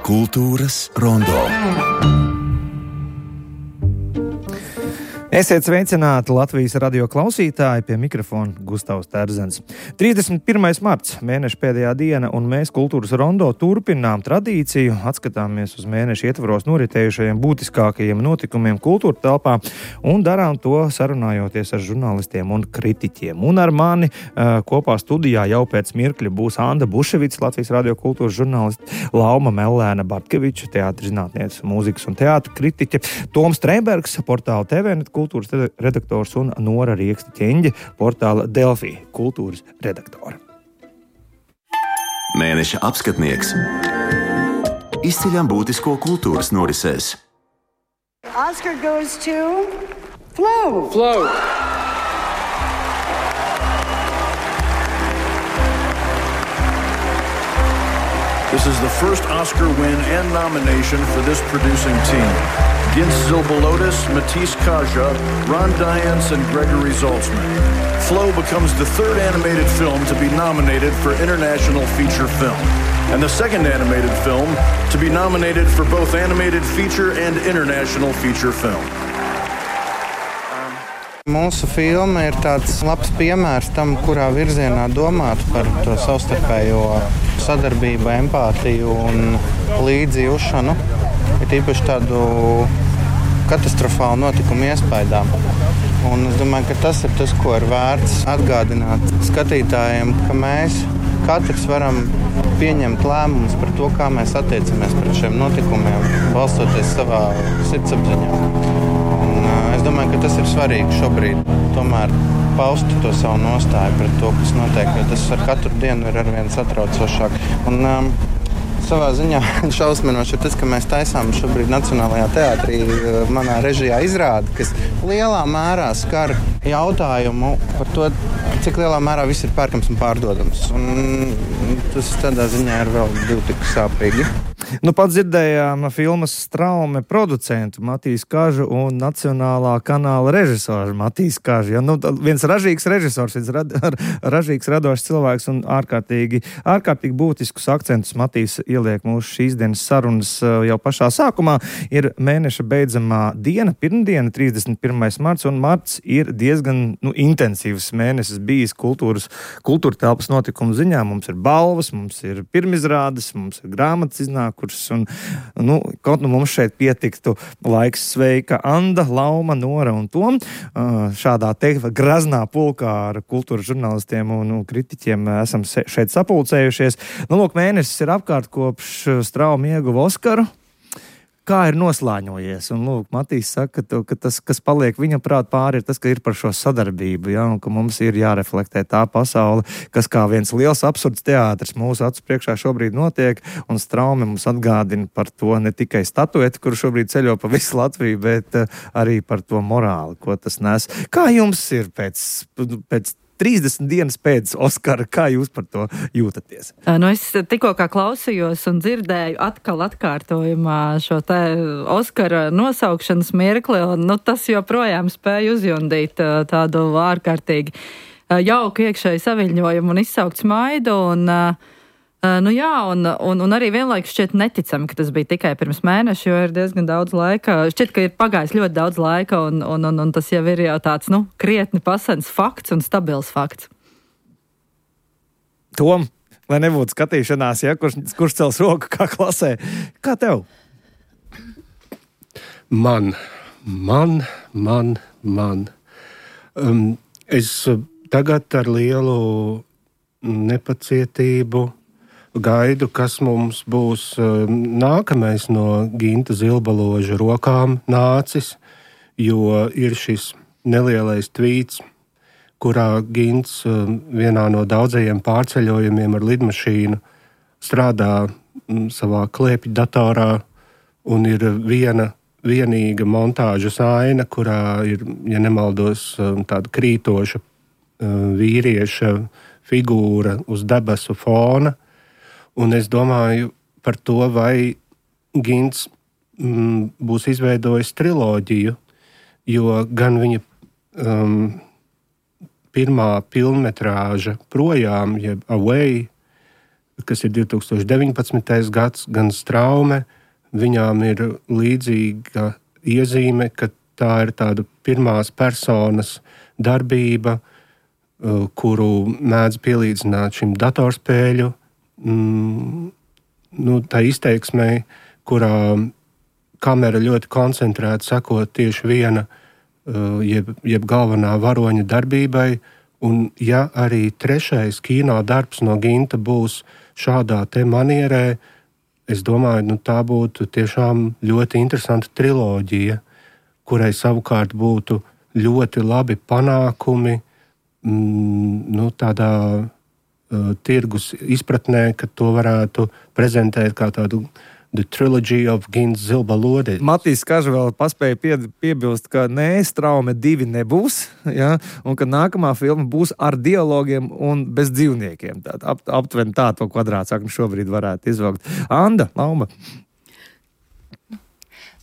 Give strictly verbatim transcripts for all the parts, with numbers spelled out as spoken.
Kultūras rondo. Esiet sveicināti Latvijas radio klausītāji, pie mikrofona Gustavs Terzens. trīsdesmit pirmais marts, mēneša pēdējā diena, un mēs Kultūras rondo turpinām tradīciju, atskatāmies uz mēneša ietvaros noritējušajiem būtiskākajiem notikumiem kultūra telpā un darām to sarunājoties ar žurnālistiem un kritiķiem. Un ar mani uh, kopā studijā jau pēc mirkļa būs Anda Buševics, Latvijas radio kultūras žurnālists, Lauma Mellēna Bartkeviča, teātris zinātniece, mūzikas un teātra kritiķe, Toms Trēbergs, portāla T V net kultūras redaktors un Nora Rieksta Ķeņģe, portāla Delfī kultūras redaktora. Mēneša apskatnieks. Izceļam būtisko kultūras norisēs. Oscar goes to Flow. Flow. This is the first Oscar win and nomination for this producing team. Gins Zilbalotis, Matisse Kaja, Ron Diance, and Gregory Zaltzman. Flow becomes the third animated film to be nominated for International Feature Film, and the second animated film to be nominated for both Animated Feature and International Feature Film. Mūsu filma ir tāds labs piemērs tam, kurā virzienā domāt par to savstarpējo sadarbību, empātiju un līdzjūšanu. Ir īpaši tādu katastrofālu notikumu iespaidām. Un es domāju, ka tas ir tas, ko ir vērts atgādināt skatītājiem, ka mēs katrs varam pieņemt lēmumus par to, kā mēs attiecamies pret šiem notikumiem, balstoties savā sirdsapziņā. Un es domāju, ka tas ir svarīgi šobrīd tomēr paust to savu nostāju pret to, kas notiek, jo tas ar katru dienu ir arvien satraucošāk. Un um, savā ziņā šausminoši ir tas, ka mēs taisām šobrīd Nacionālajā teātrī manā režijā izrādi, kas lielā mērā skar jautājumu par to, cik lielā mērā viss ir pērkams un pārdodams. Un tas tādā ziņā ir vēl divi tik sāpīgi. Nu, pats dzirdējām filmas Straume producentu Matīsu Kažu un Nacionālā kanāla režisoru Matīsu Kažu. Ja, nu, viens ražīgs režisors, viens rad, ražīgs radošs cilvēks un ārkārtīgi, ārkārtīgi būtiskus akcentus Matīs ieliek mūsu šīs dienas sarunas jau pašā sākumā. Ir mēneša beidzamā diena, pirmdiena, trīsdesmit pirmais marts, un marts ir diezgan nu, intensīvs mēnesis bijis kultūras, kultūra telpas notikumu ziņā. Mums ir balvas, mums ir pirmizrādes, mums ir grāmatas iznāk, kuras, un, nu, kaut nu mums šeit pietiktu laiks sveika Anda, Lauma, Nora un Tom. Šādā te graznā pulkā ar kultūras žurnālistiem un, un kritiķiem esam šeit sapulcējušies. Nu, lūk, mēnesis ir apkārt kopš Strauma ieguva Oskaru. Kā ir noslāņojies? Un, lūk, Matīs saka, to, ka tas, kas paliek viņa prāt pāri, ir tas, ka ir par šo sadarbību, ja, un ka mums ir jāreflektē tā pasaule, kas kā viens liels absurds teātris mūsu acu priekšā šobrīd notiek, un Straume mums atgādina par to ne tikai statueti, kuru šobrīd ceļo pa visu Latviju, bet uh, arī par to morāli, ko tas nes. Kā jums ir pēc, pēc trīsdesmit dienas pēc Oskara, kā jūs par to jūtaties? Nu, es tikko kā klausījos un dzirdēju atkal atkārtojumā šo te Oskara nosaukšanas mirkli, un nu, tas joprojām spēja uzjundīt tādu ārkārtīgi jauku iekšēju saviļņojumu un izsaukt smaidu, un nu jā, un, un, un arī vienlaikus šķiet neticami, ka tas bija tikai pirms mēneša, jo ir diezgan daudz laika. Šķiet, ka ir pagājis ļoti daudz laika, un, un, un, un tas jau ir jau tāds, nu, krietni pasens fakts un stabils fakts. Tom, lai nebūtu skatīšanās, ja, kurš, kurš cels roku kā klasē. Kā tev? Man, man, man, man. Um, es tagad ar lielu nepacietību gaidu, kas mums būs nākamais no Ginta Zilbaloža rokām nācis, jo ir šis nelielais tvīts, kurā Gints vienā no daudzajiem pārceļojumiem ar lidmašīnu strādā savā klēpju datorā, un ir viena vienīga montāžas aina, kurā ir, ja nemaldos, tāda krītoša vīrieša figūra uz debesu fona. Un es domāju par to, vai Gints mm, būs izveidojis triloģiju, jo gan viņa um, pirmā filmmetrāža Projām, jeb Away, kas ir divi tūkstoši deviņpadsmitais gads, gan Straume, viņām ir līdzīga iezīme, ka tā ir tāda pirmās personas darbība, kuru mēdz pielīdzināt šim datorspēļu, mm, nu, tā izteiksmei, kurā kamera ļoti koncentrēta sekot tieši viena, jeb, jeb galvenā varoņa darbībai, un ja arī trešais kino darbs no Ginta būs šādā te manierē, es domāju, nu, tā būtu tiešām ļoti interesanta triloģija, kurai savukārt būtu ļoti labi panākumi mm, nu, tādā uh, tirgus izpratnē, ka to varētu prezentēt kā tādu The Trilogy of Gints Zilbalodis. Matīs Kaža vēl paspēja pie, piebilst, ka nē, Straume divi nebūs, ja, un ka nākamā filma būs ar dialogiem un bez dzīvniekiem. Tā, ap, aptuveni tā to kvadrātsakni šobrīd varētu izvilkt. Anda, Lauma.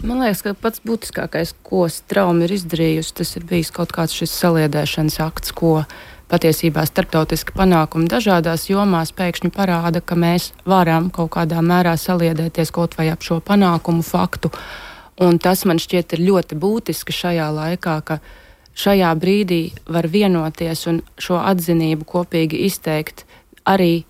Man liekas, ka pats būtiskākais, ko Straume ir izdarījusi, tas ir bijis kaut kāds šis saliedēšanas akts, ko patiesībā starptautiski panākumi dažādās jomās pēkšņi parāda, ka mēs varam kaut kādā mērā saliedēties kaut vai ap šo panākumu faktu. Un tas man šķiet ir ļoti būtiski šajā laikā, ka šajā brīdī var vienoties un šo atzinību kopīgi izteikt arī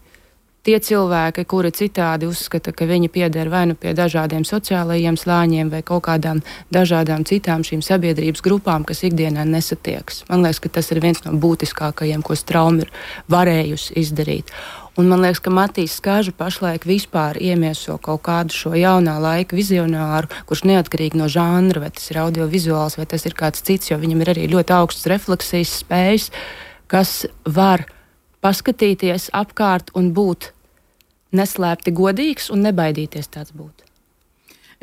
tie cilvēki, kuri citādi uzskata, ka viņi pieder vai nu pie dažādiem sociālajiem slāņiem vai kaut kādām dažādām citām šīm sabiedrības grupām, kas ikdienā nesatiekas. Man liekas, ka tas ir viens no būtiskākajiem, ko Straume ir varējusi izdarīt. Un man liekas, ka Matīs Kaža pašlaik vispār iemieso kaut kādu šo jaunā laika vizionāru, kurš neatkarīgi no žanra, vai tas ir audiovizuāls, vai tas ir kāds cits, jo viņam ir arī ļoti augsts refleksijas spējas, kas var paskatīties apkārt un būt neslēpti godīgs un nebaidīties tāds būt.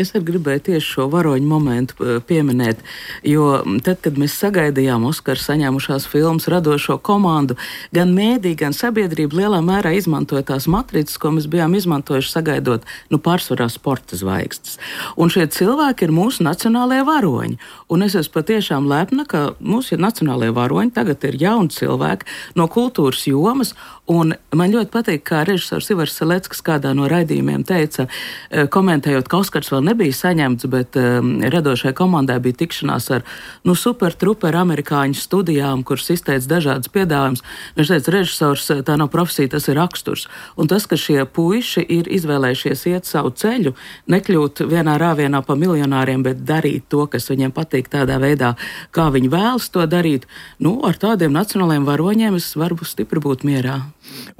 Es arī gribēju tieši šo varoņu momentu pieminēt, jo tad, kad mēs sagaidījām Oskaru saņēmušās filmas radošo komandu, gan mēdī, gan sabiedrība lielā mērā izmantoja tās matricas, ko mēs bijām izmantojuši sagaidot, nu, pārsvarā sporta zvaigznes. Un šie cilvēki ir mūsu nacionālajie varoņi. Un es esmu patiešām lepna, ka mūsu nacionālajie varoņi tagad ir jauni cilvēki no kultūras jomas. Un man ļoti patīk, kā režisors Ivars Seleckas kādā no raidījumiem teica, komentējot, ka Oskars vēl nebija saņemts, bet um, radošai komandai bija tikšanās ar nu, super truper amerikāņu studijām, kuras izteica dažādas piedāvājumus. Viņš teica, režisors, tā nav profesija, tas ir raksturs. Un tas, ka šie puiši ir izvēlējušies iet savu ceļu, nekļūt vienā rāvienā pa miljonāriem, bet darīt to, kas viņiem patīk tādā veidā, kā viņi vēlas to darīt, nu, ar tādiem nacionālajiem varoņiem es varu stipri būt mierā.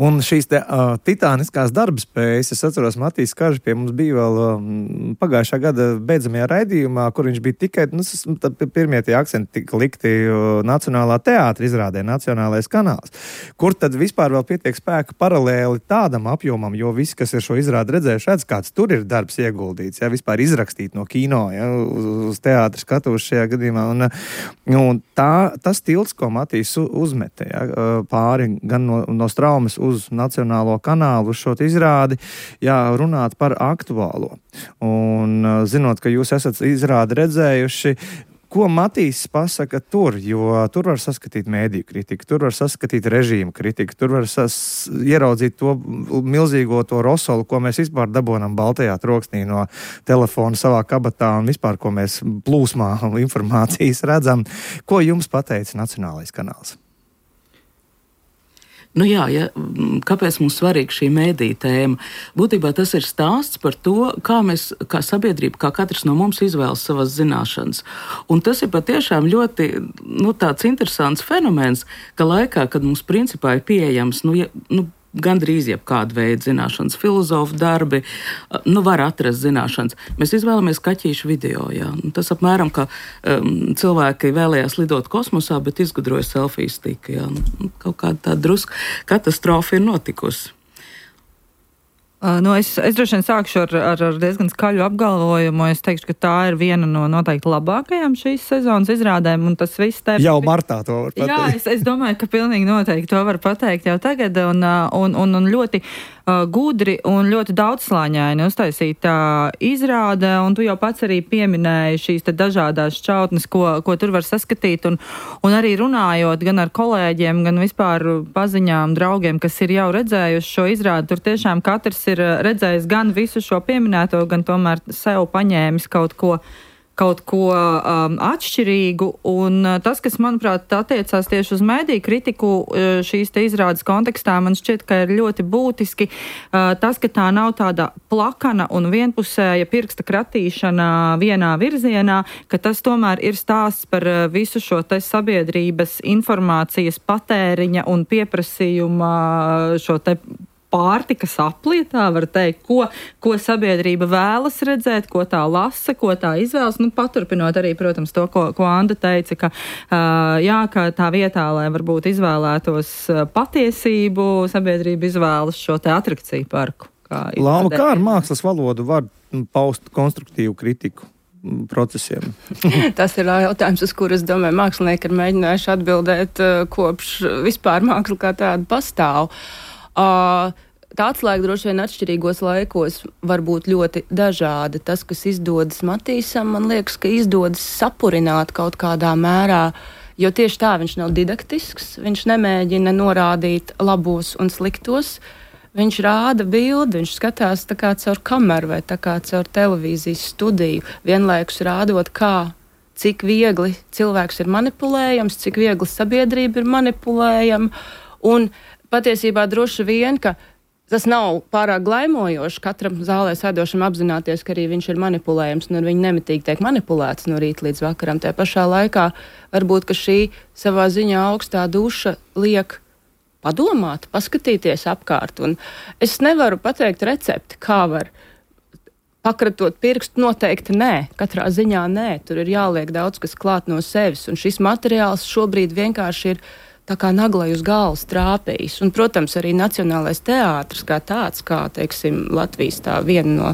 Un šīs te, uh, titāniskās darbspējas, es atceros, Matīs Kaža pie mums bija vēl um, pagājušā gada beidzamajā raidījumā, kur viņš bija tikai, nu, pirmie tie akcenti tika likti uh, Nacionālā teātra izrādē, Nacionālais kanāls, kur tad vispār vēl pietiek spēka paralēli tādam apjomam, jo visi, kas ir šo izrādi redzējuši, redz, kāds tur ir darbs ieguldīts, ja, vispār izrakstīt no kino, ja, uz, uz teātra skatuves šajā gadījumā. Un, un tā, tas tilts, ko Matīs uzmete, ja, pāri gan no, no Straumes uz Nacionālo kanālu, uz šo izrādi, jā, runāt par aktuālo. Un zinot, ka jūs esat izrādi redzējuši, ko Matīs pasaka tur, jo tur var saskatīt mēdīju kritiku, tur var saskatīt režīmu kritiku, tur var sas, ieraudzīt to milzīgo to rosolu, ko mēs vispār dabonam baltajā troksnī no telefona savā kabatā un vispār, ko mēs plūsmā informācijas redzam. Ko jums pateica Nacionālais kanāls? Nu jā, ja, kāpēc mums svarīga šī mēdīja tēma? Būtībā tas ir stāsts par to, kā mēs, kā sabiedrība, kā katrs no mums izvēlas savas zināšanas. Un tas ir patiešām ļoti, nu, tāds interesants fenomens, ka laikā, kad mums principā ir pieejams, nu, ja, nu gandrīz jebkāda veida zināšanas, filozofu darbi, nu var atrast zināšanas. Mēs izvēlamies kaķīšu video, jā. Tas apmēram, ka um, cilvēki vēlējās lidot kosmosā, bet izgudroja selfiju stiku, jā. Nu, kaut kāda tā druska katastrofa ir notikusi. Uh, nu es, es droši vien sākšu ar, ar, ar diezgan skaļu apgalvojumu. Es teikšu, ka tā ir viena no noteikti labākajām šīs sezonas izrādēm, un tas viss te... Jau martā to var pateikt. Jā, es, es domāju, ka pilnīgi noteikti to var pateikt jau tagad, un, un, un, un ļoti gudri un ļoti daudzslāņaini uztaisīta izrāde, un tu jau pats arī pieminēji šīs te dažādās šķautnes, ko, ko tur var saskatīt, un, un arī runājot gan ar kolēģiem, gan vispār paziņām, draugiem, kas ir jau redzējuši šo izrādi, tur tiešām katrs ir redzējis gan visu šo pieminēto, gan tomēr sev paņēmis kaut ko kaut ko um, atšķirīgu, un uh, tas, kas, manuprāt, attiecās tieši uz mediju kritiku uh, šīs te izrādes kontekstā, man šķiet, ka ir ļoti būtiski uh, tas, ka tā nav tāda plakana un vienpusēja pirksta kratīšana vienā virzienā, ka tas tomēr ir stāsts par uh, visu šo te sabiedrības informācijas patēriņa un pieprasījuma šo te pārtikas aplietā, var teikt, ko, ko sabiedrība vēlas redzēt, ko tā lasa, ko tā izvēlas. Nu, paturpinot arī, protams, to, ko, ko Anda teica, ka, uh, jā, ka tā vietā, lai varbūt izvēlētos patiesību, sabiedrība izvēlas šo te atrakciju parku. Lauma, kā ar mākslas valodu var paust konstruktīvu kritiku procesiem? Tas ir jautājums, uz kuru, es domāju, mākslinieki ir mēģinājuši atbildēt, kopš vispār māksla kā tāda pastāv. Uh, tā atslēga droši vien atšķirīgos laikos var būt ļoti dažāda. Tas, kas izdodas Matīsam, man liekas, ka izdodas sapurināt kaut kādā mērā, jo tieši tā viņš nav didaktisks, viņš nemēģina norādīt labos un sliktos, viņš rāda bildi, viņš skatās tā kā caur kameru vai tā kā caur televīzijas studiju, vienlaikus rādot, kā, cik viegli cilvēks ir manipulējams, cik viegli sabiedrība ir manipulējama, un patiesībā droši vien, ka tas nav pārāk glaimojoši katram zālē sēdošam apzināties, ka arī viņš ir manipulējams un ar viņu nemitīgi tiek manipulēts no rīta līdz vakaram. Tajā pašā laikā varbūt, ka šī savā ziņā augstā duša liek padomāt, paskatīties apkārt. Un es nevaru pateikt recepti, kā var pakratot pirkstu, noteikti nē, katrā ziņā nē. Tur ir jāliek daudz kas klāt no sevis, un šis materiāls šobrīd vienkārši ir tā kā naglai uz galvas trāpījis. Un, protams, arī Nacionālais teātris kā tāds, kā, teiksim, Latvijas tā viena no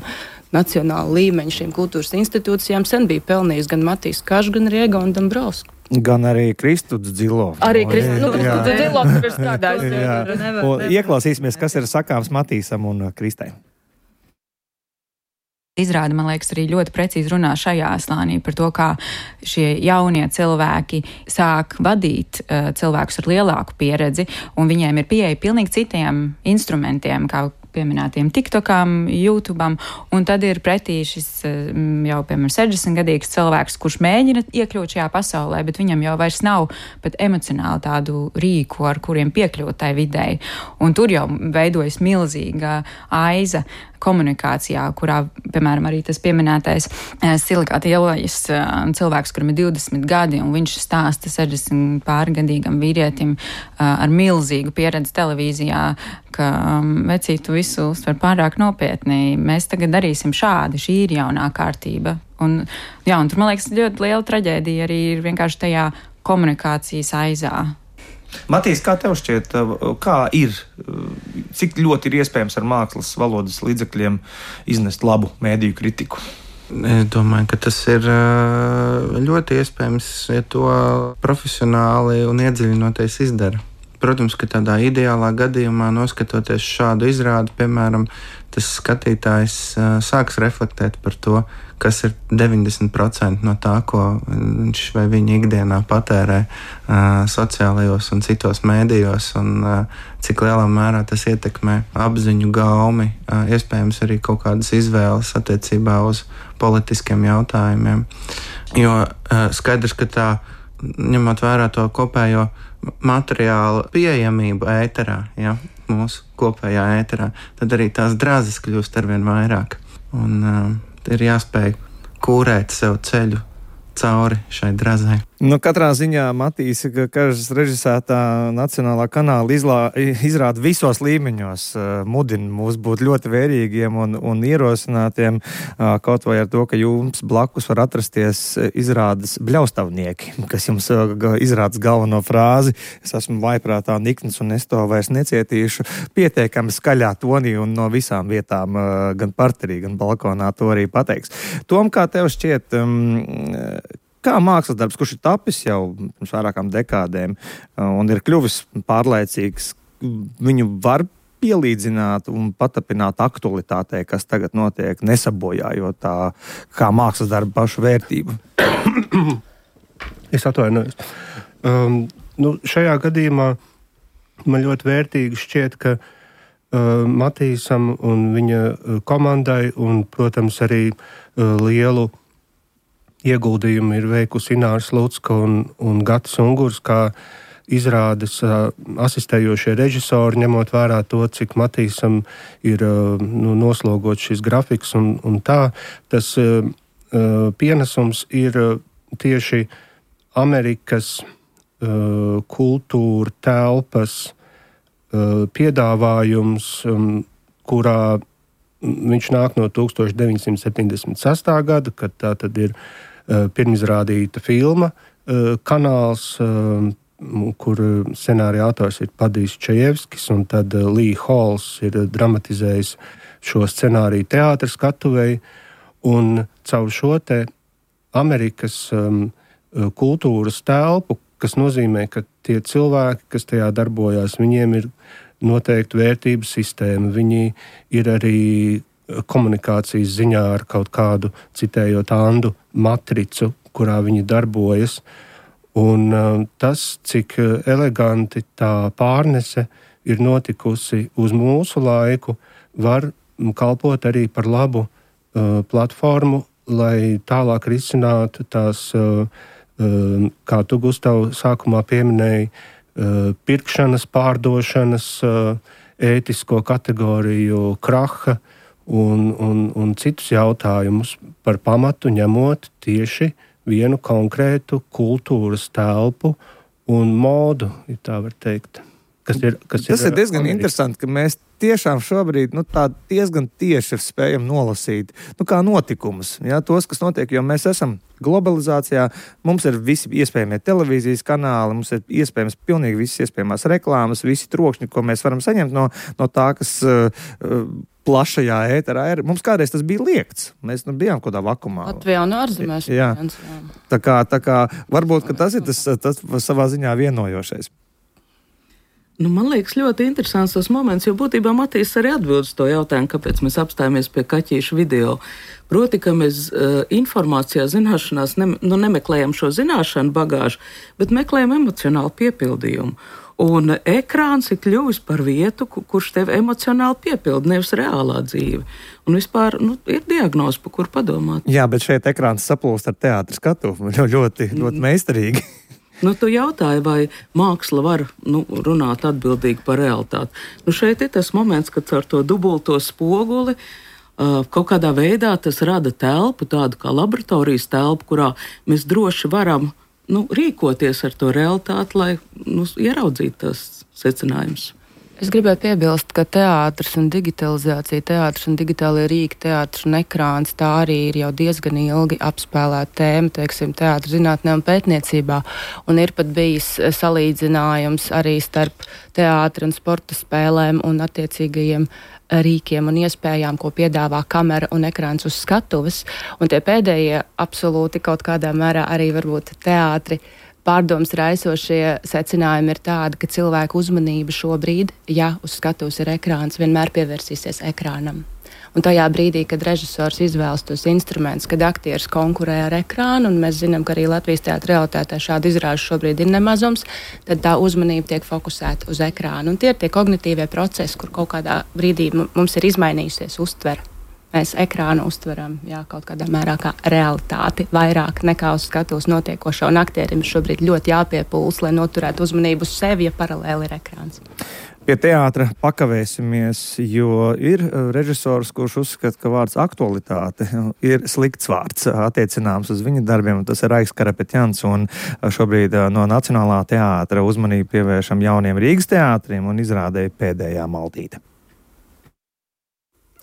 nacionāla līmeņa šīm kultūras institūcijām sen bija pelnījis gan Matīs Kažs, gan arī Egonu Dombrovsku. Gan arī Kristuds Dzilovs. Arī Kristuds nu, Dzilovs ir strādājis. Ieklausīsimies, kas ir sakāms Matīsam un Kristai. Izrāda, man liekas, arī ļoti precīzi runā šajā slānī par to, kā šie jaunie cilvēki sāk vadīt uh, cilvēkus ar lielāku pieredzi, un viņiem ir pieeja pilnīgi citiem instrumentiem, kā pieminētiem TikTokam, YouTubeam, un tad ir pretī šis jau, piemēram, sešdesmitgadīgs cilvēks, kurš mēģina iekļūt šajā pasaulē, bet viņam jau vairs nav pat emocionāli tādu rīku, ar kuriem piekļūt tai videi. Un tur jau veidojas milzīga aiza komunikācijā, kurā, piemēram, arī tas pieminētais Silikāta ielas cilvēks, kuram ir divdesmit gadi, un viņš stāsta sešdesmit pārgadīgam vīrietim ar milzīgu pieredzi televīzijā, ka vecīt, tu visu uztver pārāk nopietni, mēs tagad darīsim šādi, šī ir jaunā kārtība. Un, jā, un tur, man liekas, ļoti liela traģēdija arī ir vienkārši tajā komunikācijas aizā. Matīs, kā tev šķiet, kā ir, cik ļoti ir iespējams ar mākslas valodas līdzekļiem iznest labu mēdīju kritiku? Es domāju, ka tas ir ļoti iespējams, ja to profesionāli un iedziļinoties izdara. Protams, ka tādā ideālā gadījumā, noskatoties šādu izrādi, piemēram, tas skatītājs uh, sāks reflektēt par to, kas ir deviņdesmit procenti no tā, ko viņš vai viņa ikdienā patērē uh, sociālajos un citos mēdījos, un uh, cik lielā mērā tas ietekmē apziņu gaumi, uh, iespējams arī kaut kādas izvēles attiecībā uz politiskiem jautājumiem. Jo uh, skaidrs, ka tā, ņemot vērā to kopējo materiāla pieejamību ēterā, ja, mūsu kopējā ēterā, tad arī tās drāzes kļūst arvien vairāk. Un uh, ir jāspēj kūrēt sev ceļu cauri šai drazai. Nu, katrā ziņā Matīs Kažs režisētā Nacionālā kanāla izlā, izrāda visos līmeņos, mudina mūs būt ļoti vērīgiem un, un ierosinātiem, kaut vai ar to, ka jums blakus var atrasties izrādes bļaustavnieki, kas jums izrādas galveno frāzi. Es esmu vaiprātā nikns un es to vairs necietīšu. Pietiekami skaļā tonī un no visām vietām, gan parterī, gan balkonā to arī pateiks. Tom, kā tev šķiet, kā mākslas darbs, kurš ir tapis jau pirms vairākām dekādēm un ir kļuvis pārlaicīgs, viņu var pielīdzināt un patapināt aktualitātei, kas tagad notiek, nesabojājot tā kā mākslas darba pašu vērtību? Es atvainojos. Um, nu, šajā gadījumā man ļoti vērtīgi šķiet, ka uh, Matīsam un viņa komandai un, protams, arī uh, lielu ieguldījumu ir veikusi Ināra Slucka un, un Gatis Ungurs, kā izrādes uh, asistējošie režisori, ņemot vērā to, cik Matīsam ir uh, nu, noslogots šis grafiks un, un tā. Tas uh, uh, pienesums ir uh, tieši Amerikas uh, kultūra telpas uh, piedāvājums, um, kurā viņš nāk no tūkstoš deviņsimt septiņdesmit sestā gada, kad tā tad ir uh, pirmizrādīta filma uh, kanāls, uh, kur scenārija autors ir Padijs Čajevskis, un tad uh, Lee Halls ir dramatizējis šo scenāriju teātra skatuvei, un caur šo te Amerikas um, kultūras telpu, kas nozīmē, ka tie cilvēki, kas tajā darbojās, viņiem ir noteikti vērtību sistēma, viņi ir arī komunikācijas ziņā ar kaut kādu, citējot Andu, matricu, kurā viņi darbojas. Un uh, tas, cik eleganti tā pārnese ir notikusi uz mūsu laiku, var kalpot arī par labu uh, platformu, lai tālāk risinātu tās, uh, uh, kā tu, Gustav, sākumā pieminēji, uh, pirkšanas, pārdošanas, uh, ētisko kategoriju kraha un, un, un citus jautājumus par pamatu ņemot tieši vienu konkrētu kultūras telpu un modu, ja tā var teikt. Kas ir, kas Tas ir, ir diezgan Amerika. interesanti, ka mēs tiešām šobrīd nu, tā diezgan tieši spējam nolasīt nu, kā notikumus, ja, tos, kas notiek, jo mēs esam globalizācijā, mums ir visi iespējamie televīzijas kanāli, mums ir iespējams pilnīgi visas iespējamās reklāmas, visi trokšņi, ko mēs varam saņemt no, no tā, kas uh, plašajā ēterā ir. Mums kādreiz tas bija liegts. Mēs nu, bijām kaut kādā vakumā. Latvijā un ārzemēs. Jā. Tā kā, tā kā varbūt, ka tas ir tas, tas savā ziņā vienojošais. Nu, man liekas, ļoti interesants tas moments, jo būtībā Matīs arī atbild uz to jautājumu, kāpēc mēs apstājamies pie kaķīšu video. Proti, ka mēs uh, informācijā, zināšanās ne, nu, nemeklējam šo zināšanu bagāžu, bet meklējam emocionālu piepildījumu. Un ekrāns ir kļuvis par vietu, kurš tevi emocionāli piepilda, nevis reālā dzīve. Un vispār nu, ir diagnoze, pa kur padomāt. Jā, bet šeit ekrāns saplūst ar teātra skatuvu. Ļoti, ļoti meistarīgi. Nu, tu jautāji, vai māksla var nu, runāt atbildīgi par realitāti. Nu, šeit ir tas moments, kad ar to dubulto spoguli uh, kaut kādā veidā tas rada telpu, tādu kā laboratorijas telpu, kurā mēs droši varam nu, rīkoties ar to realitāti, lai nu, ieraudzītu tās secinājumus. Es gribēju piebilst, ka teātris un digitalizācija, teātris un digitālie rīki, teātris un ekrāns, tā arī ir jau diezgan ilgi apspēlēta tēma, teiksim, teātra zinātnē un pētniecībā. Un ir pat bijis salīdzinājums arī starp teātra un sporta spēlēm un attiecīgajiem rīkiem un iespējām, ko piedāvā kamera un ekrāns uz skatuves. Un tie pēdējie absolūti kaut kādā mērā arī varbūt teātri pārdomas raisošie secinājumi ir tādi, ka cilvēku uzmanība šobrīd, ja uz skatuves ir ekrāns, vienmēr pievērsīsies ekrānam. Un tajā brīdī, kad režisors izvēlas tos instrumentus, kad aktieris konkurē ar ekrānu, un mēs zinām, ka arī Latvijas teātra realitātē šādu izrāžu šobrīd ir nemazums, tad tā uzmanība tiek fokusēta uz ekrānu. Un tie ir tie kognitīvie procesi, kur kaut kādā brīdī mums ir izmainījusies uztvere. Mēs ekrānu uztveram jā, kaut kādā mērā kā realitāti, vairāk nekā uz skatuves notiekošo. Un aktierim šobrīd ļoti jāpiepūls, lai noturētu uzmanību uz sevi, ja paralēli ir ekrāns. Pie teātra pakavēsimies, jo ir režisors, kurš uzskata, ka vārds aktualitāte ir slikts vārds attiecināms uz viņa darbiem. Tas ir Raiks Karapetjans, un šobrīd no Nacionālā teātra uzmanību pievēršam jauniem Rīgas teātriem un izrādēja Pēdējā maldīte.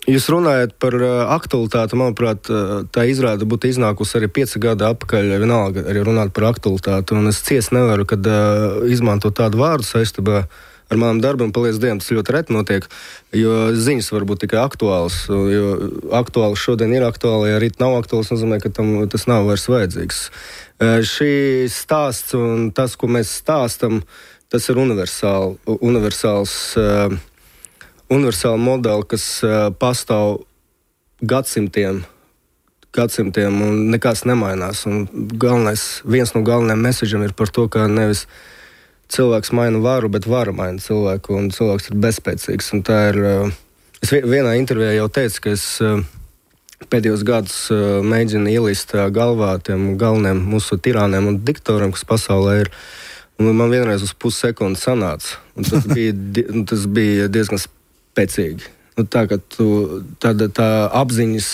Jūs runājat par uh, aktualitāti, manuprāt, uh, tā izrāde būtu iznākusi arī pieci gadi atpakaļ, vienalga arī runāt par aktualitāti, un es ciest nevaru, kad uh, izmantot tādu vārdu saistībā ar manam darbam, paldies Dievam, tas ļoti reti notiek, jo ziņas var būt tikai aktuāls, jo aktuāls šodien ir aktuāli, ja rīt nav aktuāls, nozīmē, ka tam tas nav vairs vajadzīgs. Uh, šī stāsts un tas, ko mēs stāstam, tas ir universāli, universāls uh, universāla modeli, kas uh, pastāv gadsimtiem, gadsimtiem un nekas nemainās. Un galvenais, viens no galvenajiem mesežiem ir par to, ka nevis cilvēks maina varu, bet vara maina cilvēku, un cilvēks ir bezspēcīgs. Un tā ir, uh, es vienā intervijā jau teicu, ka es uh, pēdējos gadus uh, mēģinu ielīst uh, galvā tiem galvenajiem mūsu tirāniem un diktoriem, kas pasaulē ir. Un man vienreiz uz pussekundi sanāca. Un tas bija, tas bija diezgan spēcīgi. Nu, tā, ka tu, tā, tā apziņas,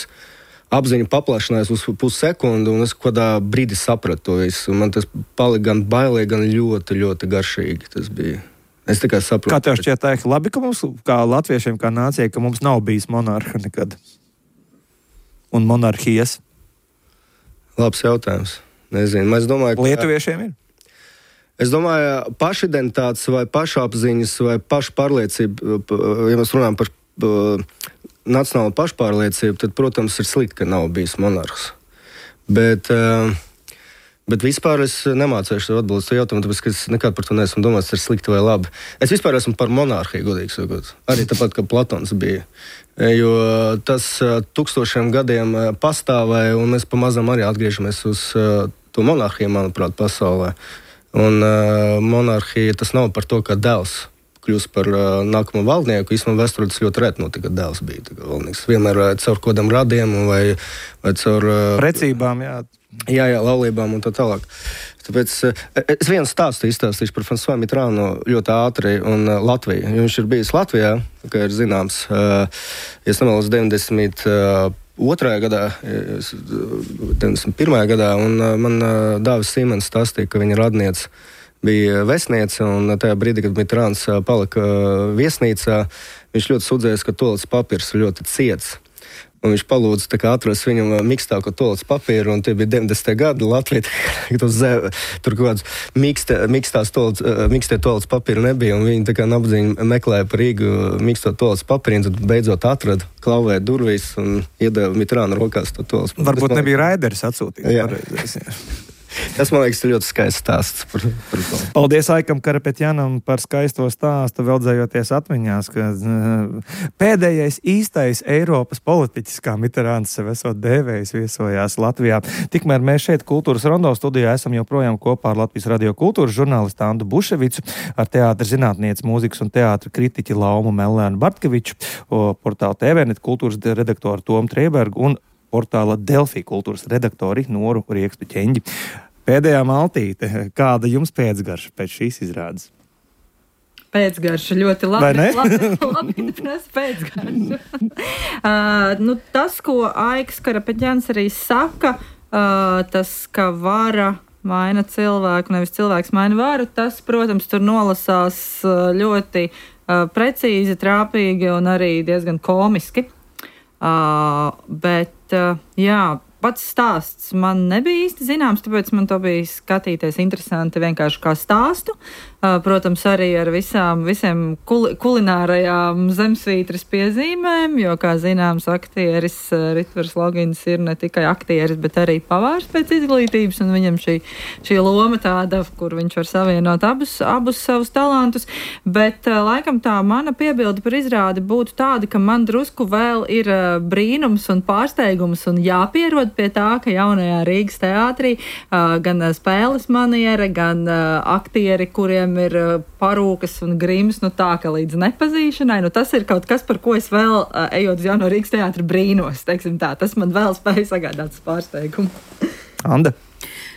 apziņa paplašinājās uz pussekundi, un es kādā brīdī sapratu to visu. Man tas palika gan bailīgi, gan ļoti, ļoti garšīgi. Tas bija. Es tikai saprotu. Kā tev šķiet, tā ir labi, ka mums, kā latviešiem, kā nācijai, ka mums nav bijis monarha nekad? Un monarhijas? Labs jautājums. Nezinu. Es domāju, ka lietuviešiem ir? Es domāju, pašidentitātes vai pašapziņas vai pašpārliecība, ja mēs runājam par uh, nacionālu pašpārliecību, tad, protams, ir slikti, ka nav bijis monarhs. Bet, uh, bet vispār es nemācēšu atbildēt šo jautājumu, tāpēc, ka es nekad par to neesmu domājis, ir slikti vai labi. Es vispār esmu par monarhiju, godīgi sakot. Arī tāpat, kā Platons bija. Jo tas uh, tūkstošiem gadiem uh, pastāvēja, un mēs pamazām arī atgriežamies uz uh, to monarhiju, manuprāt, pasaulē. Un uh, monarhija tas nav par to, ka dēls kļūst par uh, nākamo valdnieku. Īstenībā vēsturē tas ļoti reti notika, kad dēls bija valdnieks. Vienmēr uh, caur kodam radiem vai, vai caur uh, precībām, jā. Jā, jā, laulībām un tā tālāk. Tāpēc uh, es vienu stāstu izstāstīšu par François Mitterrandu ļoti ātri un uh, Latviju. Viņš ir bijis Latvijā, kā ir zināms, uh, ja es nemaldos deviņdesmit otrajā gadā, deviņdesmit pirmajā gadā, un man Dāvis Sīmens stāstīja, ka viņa radniece bija vēstniece, un tajā brīdī, kad Mitterrands palika viesnīcā, viņš ļoti sūdzējās, ka toaletes papīrs ir ļoti ciets. Un viņš palūdza atrast viņam mikstāko toaletes papīru, un tie bija deviņdesmitie gadi Latvijā. Tur kaut kāds mikstās toaletes, mikstie toaletes papīru nebija, un viņi tā kā nabadzīgi meklēja par Rīgu miksto toaletes papīru, un tad beidzot atrada, klauvēja durvīs un iedeva Mitterrandu rokās to toaletes papīru. Varbūt man... nebija Raiders atsūtīts. Tas, man liekas, ir ļoti skaists stāsts par, par to. Paldies Aikam Karapetjanam par skaisto stāstu, veldzējoties atmiņās, ka pēdējais īstais Eiropas politiķis, kā Mitterrands sev esot dēvējis, viesojās Latvijā. Tikmēr mēs šeit Kultūras Rondo studijā esam joprojām kopā ar Latvijas Radio kultūras žurnālistu Andu Buševicu, ar teātra zinātnieci, mūzikas un teātra kritiķi Laumu Mellēnu Bartkeviču, portāla T V net kultūras redaktoru Tomu Triebergu un portāla Delfī kultūras redaktori Noru Riekstu Ķeņģi. Pēdējā maltīte, kāda jums pēcgarša pēc šīs izrādes? Pēcgarša ļoti labi. Vai ne? labi, labi prasa pēcgarša. uh, nu, tas, ko Aiks Karapetjans arī saka, uh, tas, ka vara maina cilvēku, nevis cilvēks maina varu, tas, protams, tur nolasās ļoti uh, precīzi, trāpīgi un arī diezgan komiski. Uh, bet, uh, jā, pats stāsts man nebija īsti zināms, tāpēc man to bija skatīties interesanti vienkārši kā stāstu. Uh, protams, arī ar visām, visiem kul- kulinārajām zemsvītras piezīmēm, jo, kā zināms, aktieris uh, Ritvers Logins ir ne tikai aktieris, bet arī pavārs pēc izglītības, un viņam šī, šī loma tāda, kur viņš var savienot abus, abus savus talantus. Bet uh, laikam tā mana piebilde par izrādi būtu tāda, ka man drusku vēl ir uh, brīnums un pārsteigums un jāpierod pie tā, ka jaunajā Rīgas teātrī uh, gan uh, spēles maniera, gan uh, aktieri, kuriem ir parūkas un grims, nu tā, ka līdz nepazīšanai, nu tas ir kaut kas, par ko es vēl, ejot uz jauno Rīgas teātra brīnos, teiksim tā, tas man vēl spēja sagādāt pārsteigumu. Anda?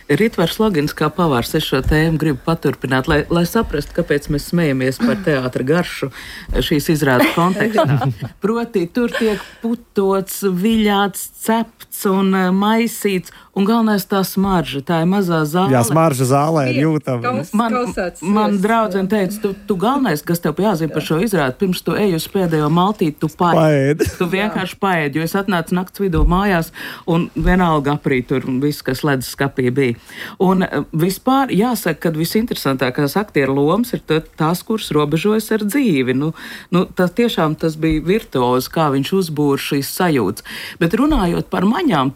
Ritvers Logins kā pavārs, es šo tēmu gribu paturpināt, lai, lai saprastu, kāpēc mēs smejamies par teātra garšu šīs izrādes kontekstā. Proti, tur tiek putots, viļāts, cepts un maisīts, un galvenais tā smarža, tā ir mazā zāle. Jā, smarža zālē ir jūtama. Man, man draudzene teica, tu, tu galvenais, kas tev jāzina par šo izrādi, pirms tu ej uz pēdējo maltīti, tu paēd. Tu vienkārši paēd, jo es atnācu nakts vidū mājās, un vienalga aprīt tur viss, kas ledus skapī bija. Un vispār jāsaka, ka visinteresantākās aktieru lomas ir tās, kuras robežojas ar dzīvi. Nu, nu, tā tiešām tas bija virtuozi, kā viņš uzbūr šīs sajūtas. Bet runājot par maņām,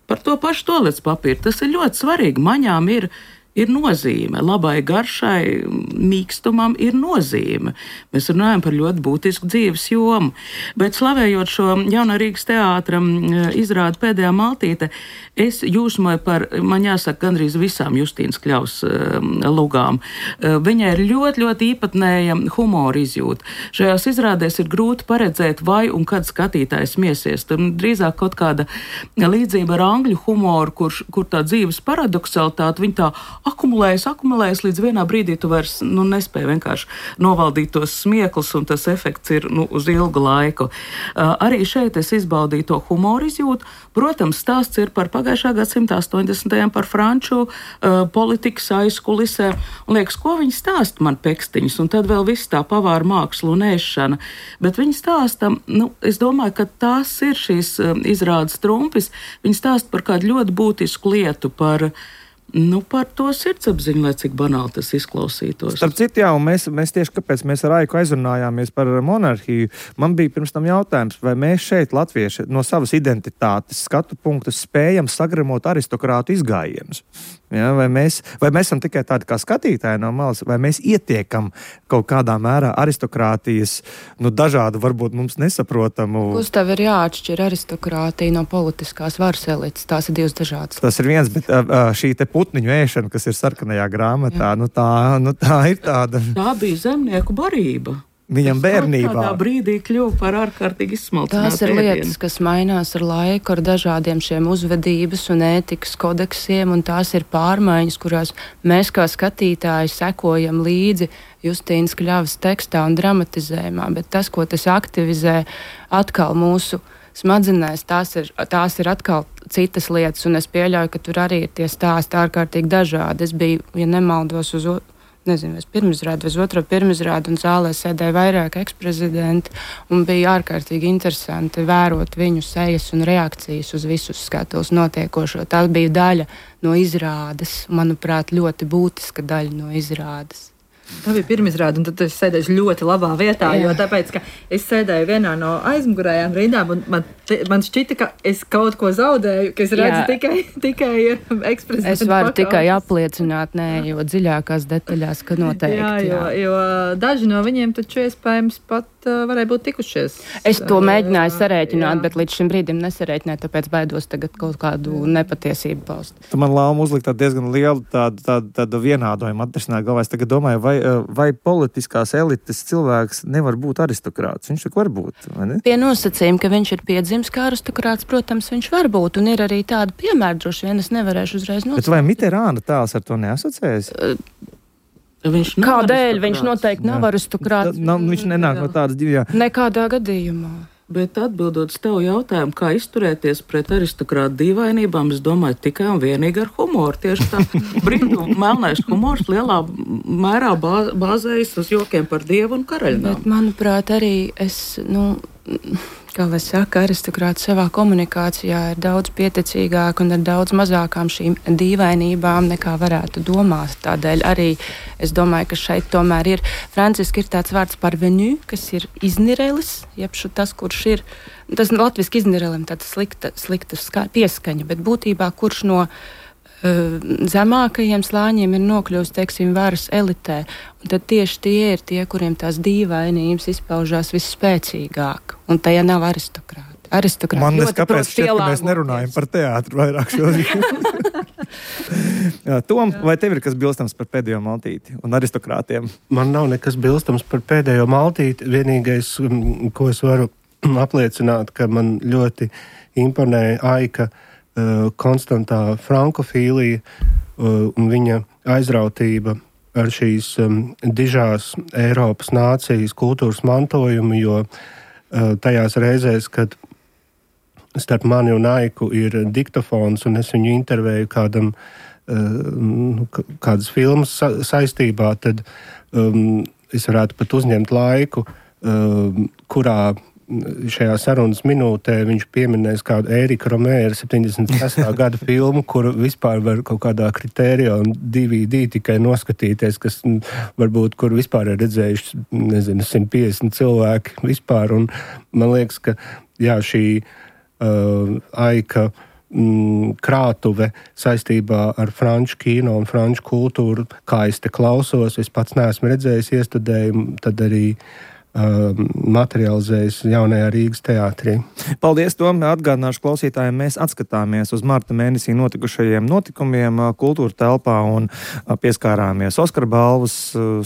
par to pašu toaletes papīru, tas ir ļoti svarīgi. Maņām ir ir nozīme. Labai garšai, mīkstumam ir nozīme. Mēs runājam par ļoti būtisku dzīves jomu. Bet slavējot šo Jaunā Rīgas teātra izrādi Pēdējā maltīte, es jūsmoju par, man jāsaka, gandrīz visām Justīnas Kļavas lugām. Viņai ir ļoti, ļoti īpatnēja humora izjūta. Šajās izrādēs ir grūti paredzēt, vai un kad skatītājs miesies. Tur drīzāk kaut kāda līdzība ar angļu humoru, kur, kur tā dzīves paradoksalitāte, viņa tā akumulējas, akumulējas, līdz vienā brīdī tu vairs nu, nespēji vienkārši novaldīt tos smieklus, un tas efekts ir nu, uz ilgu laiku. Uh, arī šeit es izbaudīju to humoru izjūtu. Protams, stāsts ir par pagājušā gadsimta astoņdesmitajiem par franču uh, politikas aizkulisē. Un liekas, ko viņi stāsta man pekstiņus, un tad vēl viss tā pavāra māksla un ēšana. Bet viņi stāsta, nu, es domāju, ka tās ir šīs uh, izrādes trumpis. Viņi stāsta par kādu ļoti būtisku lietu, par Nu, par to sirdsapziņu, lai cik banāli tas izklausītos. Starp citu, jā, un mēs, mēs tieši kāpēc mēs ar Aiku aizrunājāmies par monarhiju, man bija pirms tam jautājums, vai mēs šeit, latvieši, no savas identitātes skatu punktus spējam sagremot aristokrātu izgājienus. Ja, vai, mēs, vai mēs esam tikai tādi kā skatītāji no malas, vai mēs ietiekam kaut kādā mērā aristokrātijas, nu, dažādu, varbūt mums nesaprotamu. Gustav, ir jāatšķir aristokrātija no politiskās varas elites. Tās ir divas dažādas. Tas ir viens, bet uh, šī te putniņu ēšana, kas ir sarkanajā grāmatā, nu tā, nu tā ir tāda. Tā bija zemnieku barība. Viņam bērnībā. Tādā brīdī kļuva par ārkārtīgi izsmalcinātu. Tās ir lietas, kas mainās ar laiku, ar dažādiem šiem uzvedības un ētikas kodeksiem, un tās ir pārmaiņas, kurās mēs kā skatītāji sekojam līdzi Justīnas Kļavas tekstā un dramatizējumā, bet tas, ko tas aktivizē atkal mūsu smadzenēs, tās ir, tās ir atkal citas lietas, un es pieļauju, ka tur arī ir tie stāsti ārkārtīgi dažādi. Es biju, ja nemaldos, uz nezinu, es pirmizrādu, uz otro pirmizrādu, un zālē sēdēja vairāk eksprezidenti, un bija ārkārtīgi interesanti vērot viņu sejas un reakcijas uz visus skatuves notiekošo. Tā bija daļa no izrādes, manuprāt, ļoti būtiska daļa no izrādes. Tā bija pirmizrāde, un tad es sēdēju ļoti labā vietā, Jā. jo tāpēc, ka es sēdēju vienā no aizmugurējām rindām, un man, man šķita, ka es kaut ko zaudēju, ka es redzu Jā. tikai, tikai eksprezidentu. Es varu pakaules. tikai apliecināt, nē, jo dziļākās detaļās, ka noteikti. Jā, jo, jo daži no viņiem taču iespējams pat uh, varēja būt tikušies. Es to mēģināju sarēķināt, bet līdz šim brīdim nesarēķināju, tāpēc baidos tagad kaut kādu nepatiesību paust. Tu man Lauma uzlikt diezgan lielu tādu, tādu, tādu vienādojumu atrisināt galvā. Es tagad domāju, vai vai politiskās elites cilvēks nevar būt aristokrāts? Viņš tak var būt, vai ne? Pie nosacījuma, ka viņš ir piedzimis kā aristokrāts, protams, viņš var būt, un ir arī tāda piemēra, droši vien es nevarēšu uzreiz nosacīt. Bet vai Mitterāna tēls ar to neasociējas? Viņš Kādēļ? Viņš noteikti nav aristokrāts. Nav, viņš nenāk no tādas divas. Nekādā gadījumā. Bet atbildot uz tevu jautājumu, kā izturēties pret aristokrātu dīvainībām, es domāju tikai un vienīgi ar humoru. Tieši tā brīdu melnais humors lielā mērā bāzējas uz jokiem par dievu un karaļnām. Bet, manuprāt, arī es, nu, kā lai saka, aristokrāti savā komunikācijā ir daudz pieticīgāk un ar daudz mazākām šīm dīvainībām nekā varētu domāt. Tādēļ arī es domāju, ka šeit tomēr ir, franciski ir tāds vārds parvenu, kas ir iznīrelis, jeb tas, kurš ir, tas latviski iznīrelim tāds slikta, slikta ska, pieskaņa, bet būtībā kurš no zemākajiem slāņiem ir nokļuvis, teiksim, varas elitē. Un tad tieši tie ir tie, kuriem tās dīvainības izpaužās visspēcīgāk. Un tajā nav aristokrāti. Aristokrāti Man nes kāpēc šķiet, ka mēs nerunājam par teātru vairāk šodien. Tom, vai tev ir kas bilstams par Pēdējo maltīti un aristokrātiem? Man nav nekas bilstams par Pēdējo maltīti. Vienīgais, ko es varu apliecināt, ka man ļoti imponēja Aika konstantā frankofīlija un viņa aizrautība ar šīs dižās Eiropas nācijas kultūras mantojumu, jo tajās reizēs, kad starp mani un Aiku ir diktofons un es viņu intervēju kādam, kādas filmas saistībā, tad um, es varētu pat uzņemt laiku, um, kurā šajā sarunas minūtē viņš pieminēs kādu Ērika Romēra septiņdesmit sestā gada filmu, kuru vispār var kaut kādā kritērijā un D V D tikai noskatīties, kas varbūt, kur vispār ir redzējuši, nezinu, simt piecdesmit cilvēki vispār. Un man liekas, ka jā, šī uh, Aika mm, krātuve saistībā ar franču kino un franču kultūru. Kā es te klausos, es pats neesmu redzējis iestudējumu, tad arī materializējas jaunajā Rīgas teātrī. Paldies, Tom! Atgādināšu klausītājiem, mēs atskatāmies uz marta mēnesī notikušajiem notikumiem kultūra telpā un pieskārāmies Oskara balvas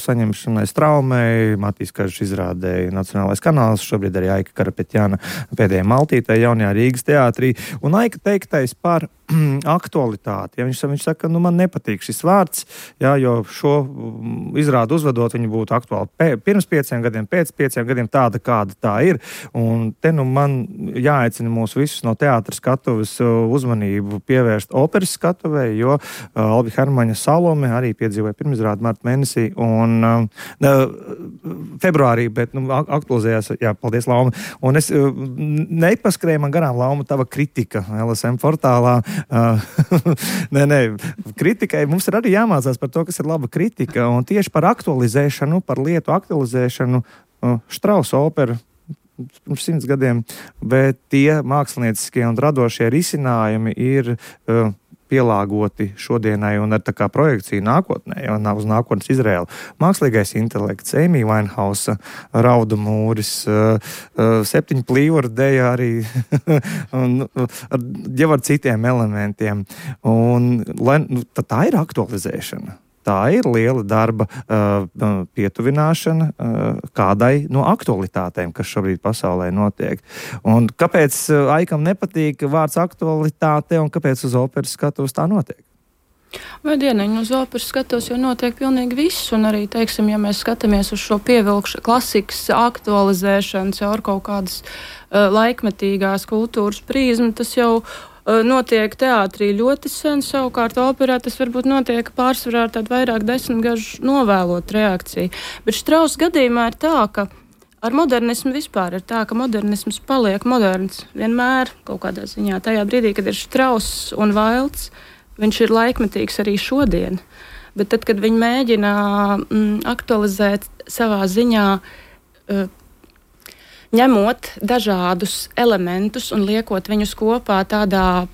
saņemšanai Straumei, Matīs Kažs izrādēja Nacionālais kanāls, šobrīd arī Aika Karapetjana pēdējā maltītē jaunajā Rīgas teātrī. Un Aika teiktais par aktualitāti. Ja viņš, viņš saka, nu man nepatīk šis vārds, jā, jo šo izrādu uzvedot, viņi būtu aktuāli pē, pirms pieciem gadiem, pēc pieciem gadiem tāda, kāda tā ir. Un te nu man jāaicina mūs visus no teātra skatuves uzmanību pievērst operas skatuvei, jo uh, Albi Hermaņa Salome arī piedzīvoja pirmizrādi marta mēnesī un uh, februārī, bet nu, aktualizējās, jā, paldies, Lauma. Un es uh, nepaskrēju man garām, Lauma, tava kritika L S M portālā. Uh, nē, nē, kritikai mums ir arī jāmācās par to, kas ir laba kritika, un tieši par aktualizēšanu, par lietu aktualizēšanu uh, Štrausa opera pirms simts gadiem, bet tie mākslinieciskie un radošie risinājumi ir uh, pielāgoti šodienai un ar tā kā projekciju nākotnē, un uz nākotnes Izraēlu. Mākslīgais intelekts, Amy Winehousa, Raudu mūris, septiņu plīvuru deja arī un jau ar citiem elementiem. Un, lai, nu, tā ir aktualizēšana. Tā ir liela darba uh, pietuvināšana uh, kādai no aktualitātēm, kas šobrīd pasaulē notiek. Un kāpēc uh, Aikam nepatīk vārds aktualitāte un kāpēc uz operas skatuves tā notiek? Vai dieniņu uz operas skatos, jo notiek pilnīgi viss, un arī, teiksim, ja mēs skatāmies uz šo pievilkšu klasikas aktualizēšanu caur kaut kādas uh, laikmetīgās kultūras prizmu, tas jau notiek teātrī ļoti sen, savukārt operā tas varbūt notiek pārsvarā ar tādu vairāk desmitgažu novēlot reakciju. Bet Štrausa gadījumā ir tā, ka ar modernismu vispār ir tā, ka modernisms paliek moderns vienmēr kaut kādā ziņā. Tajā brīdī, kad ir Štrauss un Vailds, viņš ir laikmetīgs arī šodien. Bet tad, kad viņi mēģina mm, aktualizēt savā ziņā, uh, ņemot dažādus elementus un liekot viņus kopā tādā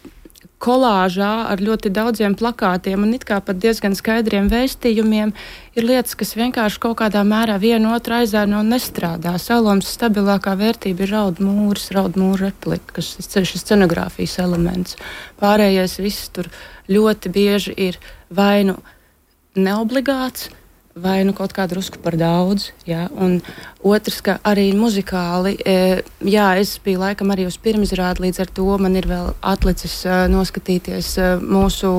kolāžā ar ļoti daudziem plakātiem un it kā pat diezgan skaidriem vēstījumiem, ir lietas, kas vienkārši kaut kādā mērā vienu otru aizēno un nestrādā. Salomas stabilākā vērtība ir raudu mūris, raudu mūra replika, kas ir šis scenogrāfijas elements. Pārējais viss tur ļoti bieži ir vai nu neobligāts, vai nu kaut kādu drusku par daudz, jā, un otrs, ka arī muzikāli, e, jā, es biju laikam arī uz pirmizrādi, līdz ar to man ir vēl atlicis e, noskatīties e, mūsu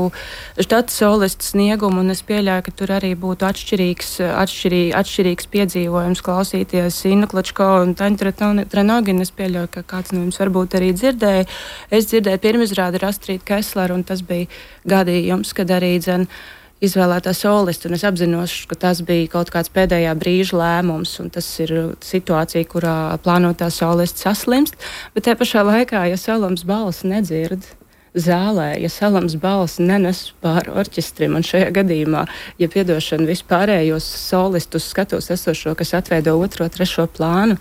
štata solistu sniegumu, un es pieļauju, ka tur arī būtu atšķirīgs, atšķirī, atšķirīgs piedzīvojums klausīties Inna Klačko un Taņa Trenogina, es pieļauju, ka kāds no jums varbūt arī dzirdēja. Es dzirdēju pirmizrādi ar Astrīdu Kesleru, un tas bija gadījums, kad arī dzen izvēlētā solista, un es apzinos, ka tas bija kaut kāds pēdējā brīža lēmums, un tas ir situācija, kurā plānotā solista saslimst, bet te pašā laikā, ja Salams balss nedzird zālē, ja Salams balss nenes pār orķestrim, un šajā gadījumā, ja piedošana vispārējos solistus skatos esošo, kas atveido otro, trešo plānu,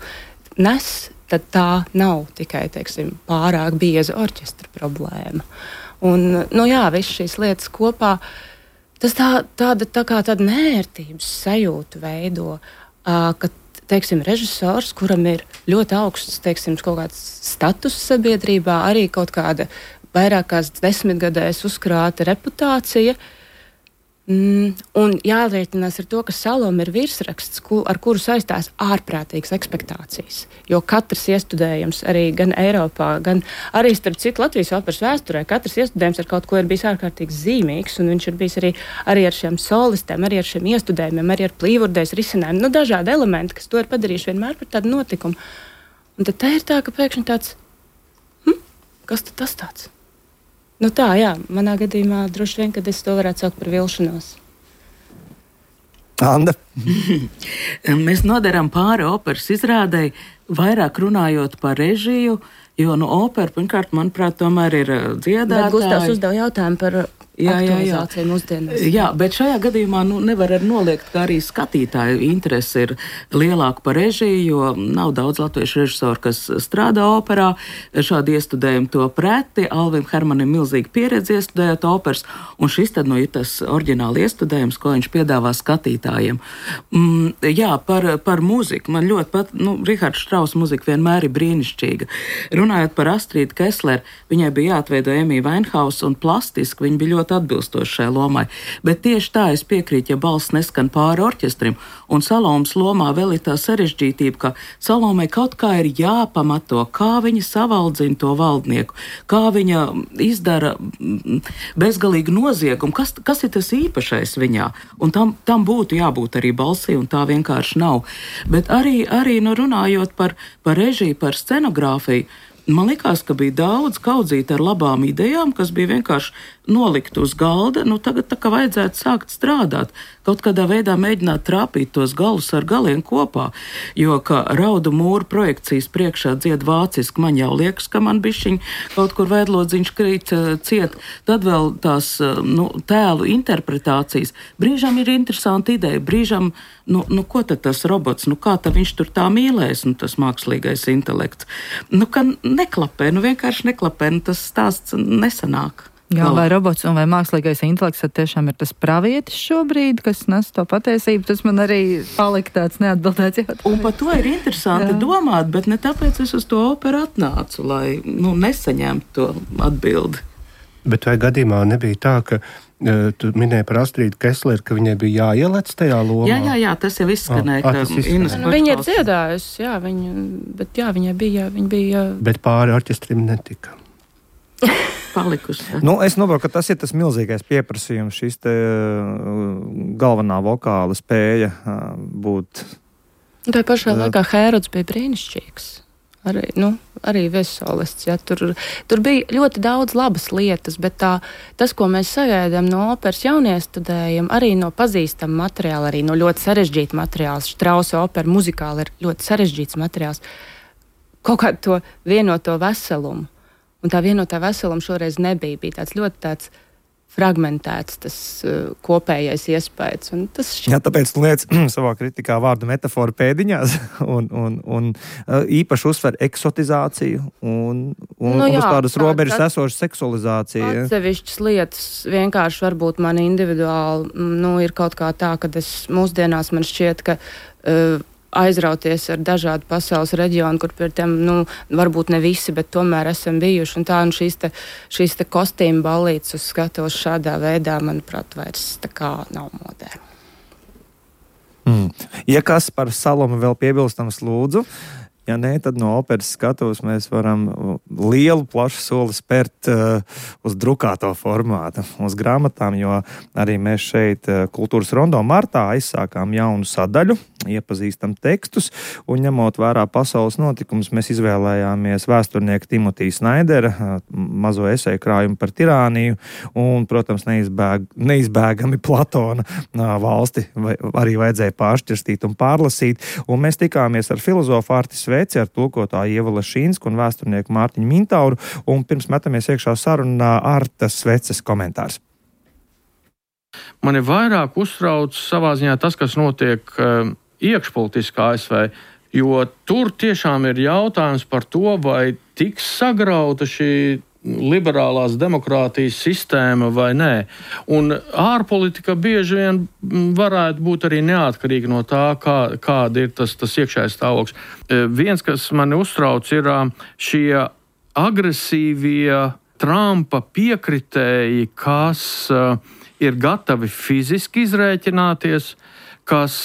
nes, tad tā nav tikai, teiksim, pārāk bieza orķestra problēma. Un, nu jā, viss šīs lietas kopā, tas tā, tāda, tā kā tāda nērtības sajūtu veido, uh, ka, teiksim, režisors, kuram ir ļoti augsts, teiksim, kaut kāds status sabiedrībā, arī kaut kāda vairākās desmitgadēs uzkrāta reputācija, mm, un jārēķinās ar to, ka Salome ir virsraksts, ku, ar kuru saistās ārprātīgas ekspektācijas, jo katrs iestudējums arī gan Eiropā, gan arī starp citu Latvijas operas vēsturē, katrs iestudējums ar kaut ko ir bijis ārkārtīgi zīmīgs, un viņš ir bijis arī, arī ar šiem solistiem, arī ar šiem iestudējumiem, arī ar plīvurdēs risinājumiem, nu dažādi elementi, kas to ir padarījuši vienmēr par tādu notikumu. Un tad tā ir tā, ka pēkšņi tāds, hm, kas tad tas tāds? Nu tā, jā, manā gadījumā droši vien, kad es to varētu saukt par vilšanos. Anda. Mēs nodarām pāri operas izrādei, vairāk runājot par režiju, jo, nu, opera, pirmkārt, manuprāt, tomēr ir dziedātāji. Bet Gustavs uzdev jautājumu par Jā, jā, jā. Mūsdienās. Jā, bet šajā gadījumā nu, nevar arī noliegt, ka arī skatītāju interese ir lielāka par režiju, jo nav daudz latviešu režisoru, kas strādā operā. Šādi iestudējumi to preti. Alvim Hermanim milzīgi pieredze iestudējot operas, un šis tad nu ir tas oriģināli iestudējums, ko viņš piedāvā skatītājiem. Mm, jā, par, par mūziku. Man ļoti pat, nu, Rihards Štrauss mūzika vienmēr ir brīnišķīga. Runājot par Astrīdu Kesleru, viņai bija jāatveido Emija Vainhausa, un plastiski viņa bija ļoti atbilstoši šai lomai. Bet tieši tā es piekrītu, ja balss neskan pāri orķestrim, un Salomas lomā vēl ir tā sarežģītība, ka Salomai kaut kā ir jāpamato, kā viņa savaldzina to valdnieku, kā viņa izdara bezgalīgu noziegumu, kas, kas ir tas īpašais viņā. Un tam, tam būtu jābūt arī balsī, un tā vienkārši nav. Bet arī, arī nu, runājot par, par režiju, par scenogrāfiju, man likās, ka bija daudz kaudzīt ar labām idejām, kas bija vienkārši nolikt uz galda. Nu, tagad tā kā vajadzētu sākt strādāt, kaut kādā veidā mēģināt trāpīt tos galus ar galiem kopā. Jo, ka Raudu mūru projekcijas priekšā dzied vāciski, man jau liekas, ka man bišķiņ kaut kur vēdlodziņš krīt ciet. Tad vēl tās nu, tēlu interpretācijas. Brīžam ir interesanti ideja, brīžam, nu, nu ko tad tas robots, nu kā tad viņš tur tā mīlēs, nu tas mākslīgais intelekts. Nu, ka neklapē, nu vienkārši neklapē, nu tas stāsts nesanāk. Jā, vai robots un vai mākslīgais intelekts tiešām ir tas pravietis šobrīd, kas nes to patiesību, tas man arī palika tāds neatbildēts jautājums. Un par to ir interesanti Jā. domāt, bet ne tāpēc es uz to operu atnācu, lai nu, nesaņemtu to atbildi. Bet vai gadījumā nebija tā, ka uh, tu minēji par Astrīdu Kesleru, ka viņai bija jāielec tajā lomā? Jā, jā, jā, tas jau izskanēja. Ah, tas izskanēja. Nu, viņa ir dziedājusi, jā, viņa, bet jā, viņai bija, viņa bija... Bet pāri orķestrim netika. Palikusi. Nu, es noprotu, ka tas ir tas milzīgais pieprasījums, šis te galvenā vokāla spēja būt. Tā pašā laikā Hērods bija brīnišķīgs. Arī, nu, arī viesolists. Ja, tur, tur bija ļoti daudz labas lietas, bet tā, tas, ko mēs sagaidām no operas jauniestudējiem, arī no pazīstama materiāla, arī no ļoti sarežģīta materiāla. Štrausa opera muzikāli ir ļoti sarežģīts materiāls. Kaut kādu to vienoto veselumu. Un tā vienotā veseluma šoreiz nebija. Bija tāds ļoti tāds fragmentēts tas uh, kopējais iespējas. Un tas šķiet... Jā, tāpēc tu liec savā kritikā vārdu metaforu pēdiņās un, un, un uh, īpaši uzsver eksotizāciju un, un, nu, jā, un uz tādas tā, robežas tā, esošu seksualizāciju. Atsevišķas lietas vienkārši varbūt man individuāli nu, ir kaut kā tā, ka es mūsdienās man šķiet, ka uh, aizrauties ar dažādu pasaules reģionu, kur pie tiem, nu, varbūt ne visi, bet tomēr esam bijuši. Un tā, un šīs te, šīs te kostīmu ballītes uz skatuves šādā veidā, manuprāt, vairs tā kā nav modē. Mm. Ja kas par Salomu vēl piebilstams lūdzu, ja nē, tad no operas skatuves mēs varam lielu, plašu soli spērt uh, uz drukāto formātu, uz grāmatām, jo arī mēs šeit uh, Kultūras rondo martā aizsākām jaunu sadaļu, iepazīstam tekstus, un ņemot vērā pasaules notikumus, mēs izvēlējāmies vēsturnieku Timotiju Snaidera uh, mazo eseju krājumu par tirāniju, un, protams, neizbēg, neizbēgami Platona uh, valsti vai, arī vajadzēja pāršķirstīt un pārlasīt, un mēs tikāmies ar filozofu Artis Veci, ar tulkotāju Ievu Lašīnsku un vēsturnieku Mārtiņu Mintauru, un pirms metamies iekšā sarunā Artas Veces komentārs. Mani vairāk uztrauc savā ziņā tas, kas notiek uh, iekšpolitiskā A S V, jo tur tiešām ir jautājums par to, vai tiks sagrauta šī liberālās demokrātijas sistēma vai nē. Un ārpolitika bieži vien varētu būt arī neatkarīga no tā, kā, kāda ir tas, tas iekšējais stāvoklis. Viens, kas mani uztrauc, ir šie agresīvie Trumpa piekritēji, kas ir gatavi fiziski izrēķināties, kas,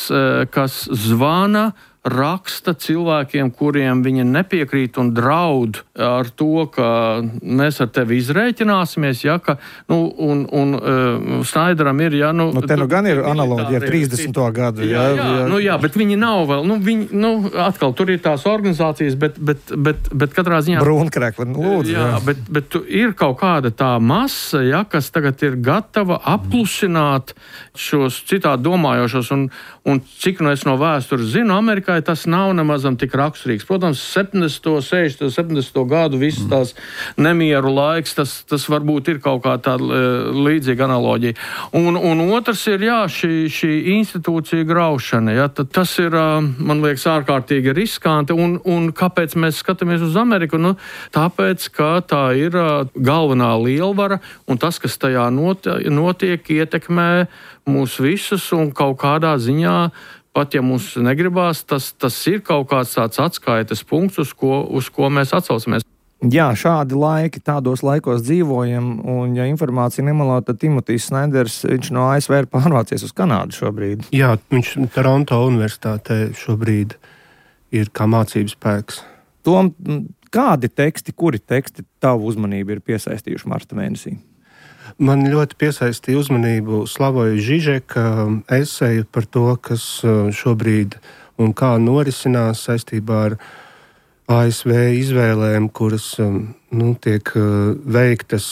kas zvana, raksta cilvēkiem, kuriem viņi nepiekrīt un draud ar to, ka mēs ar tevi izrēķināsimies, ja, ka, nu, un, un uh, Snaideram ir, ja, nu... Nu, te nu gan ir analoģija ar trīsdesmito gadu, jā. Jā, jā, nu jā, bet viņi nav vēl, nu, viņi, nu, atkal, tur ir tās organizācijas, bet, bet, bet, bet katrā ziņā... Brūnkrekli, lūdzu. Jā, jā. Bet, bet ir kaut kāda tā masa, ja, kas tagad ir gatava aplusināt šos citādi domājošos, un, un cik nu es no vēstures zinu, Amerikā Amerikai tas nav nemazam tik raksturīgs. Protams, septiņdesmito, sešdesmito, septiņdesmito gadu visas tās nemieru laiks, tas, tas varbūt ir kaut kā tāda līdzīga analoģija. Un, un otrs ir, jā, šī, šī institūcija graušana. Ja, tas ir, man liekas, ārkārtīgi riskanti. Un, un kāpēc mēs skatāmies uz Ameriku? Nu, tāpēc, ka tā ir galvenā lielvara, un tas, kas tajā notiek, ietekmē mūs visus, un kaut kādā ziņā, pat ja mums negribās, tas, tas ir kaut kāds tāds atskaites punkts, uz ko, uz ko mēs atsaucamies. Jā, šādi laiki, tādos laikos dzīvojam, un ja informācija nemelā, tad Timotijs Sneders, viņš no A S V ir pārvācies uz Kanādu šobrīd. Jā, viņš Toronto universitātē šobrīd ir kā mācības spēks. Tom, kādi teksti, kuri teksti tavu uzmanību ir piesaistījuši marta mēnesī? Man ļoti piesaistīja uzmanību Slavoja Žižeka eseju par to, kas šobrīd un kā norisinās saistībā ar A S V izvēlēm, kuras nu, tiek veiktas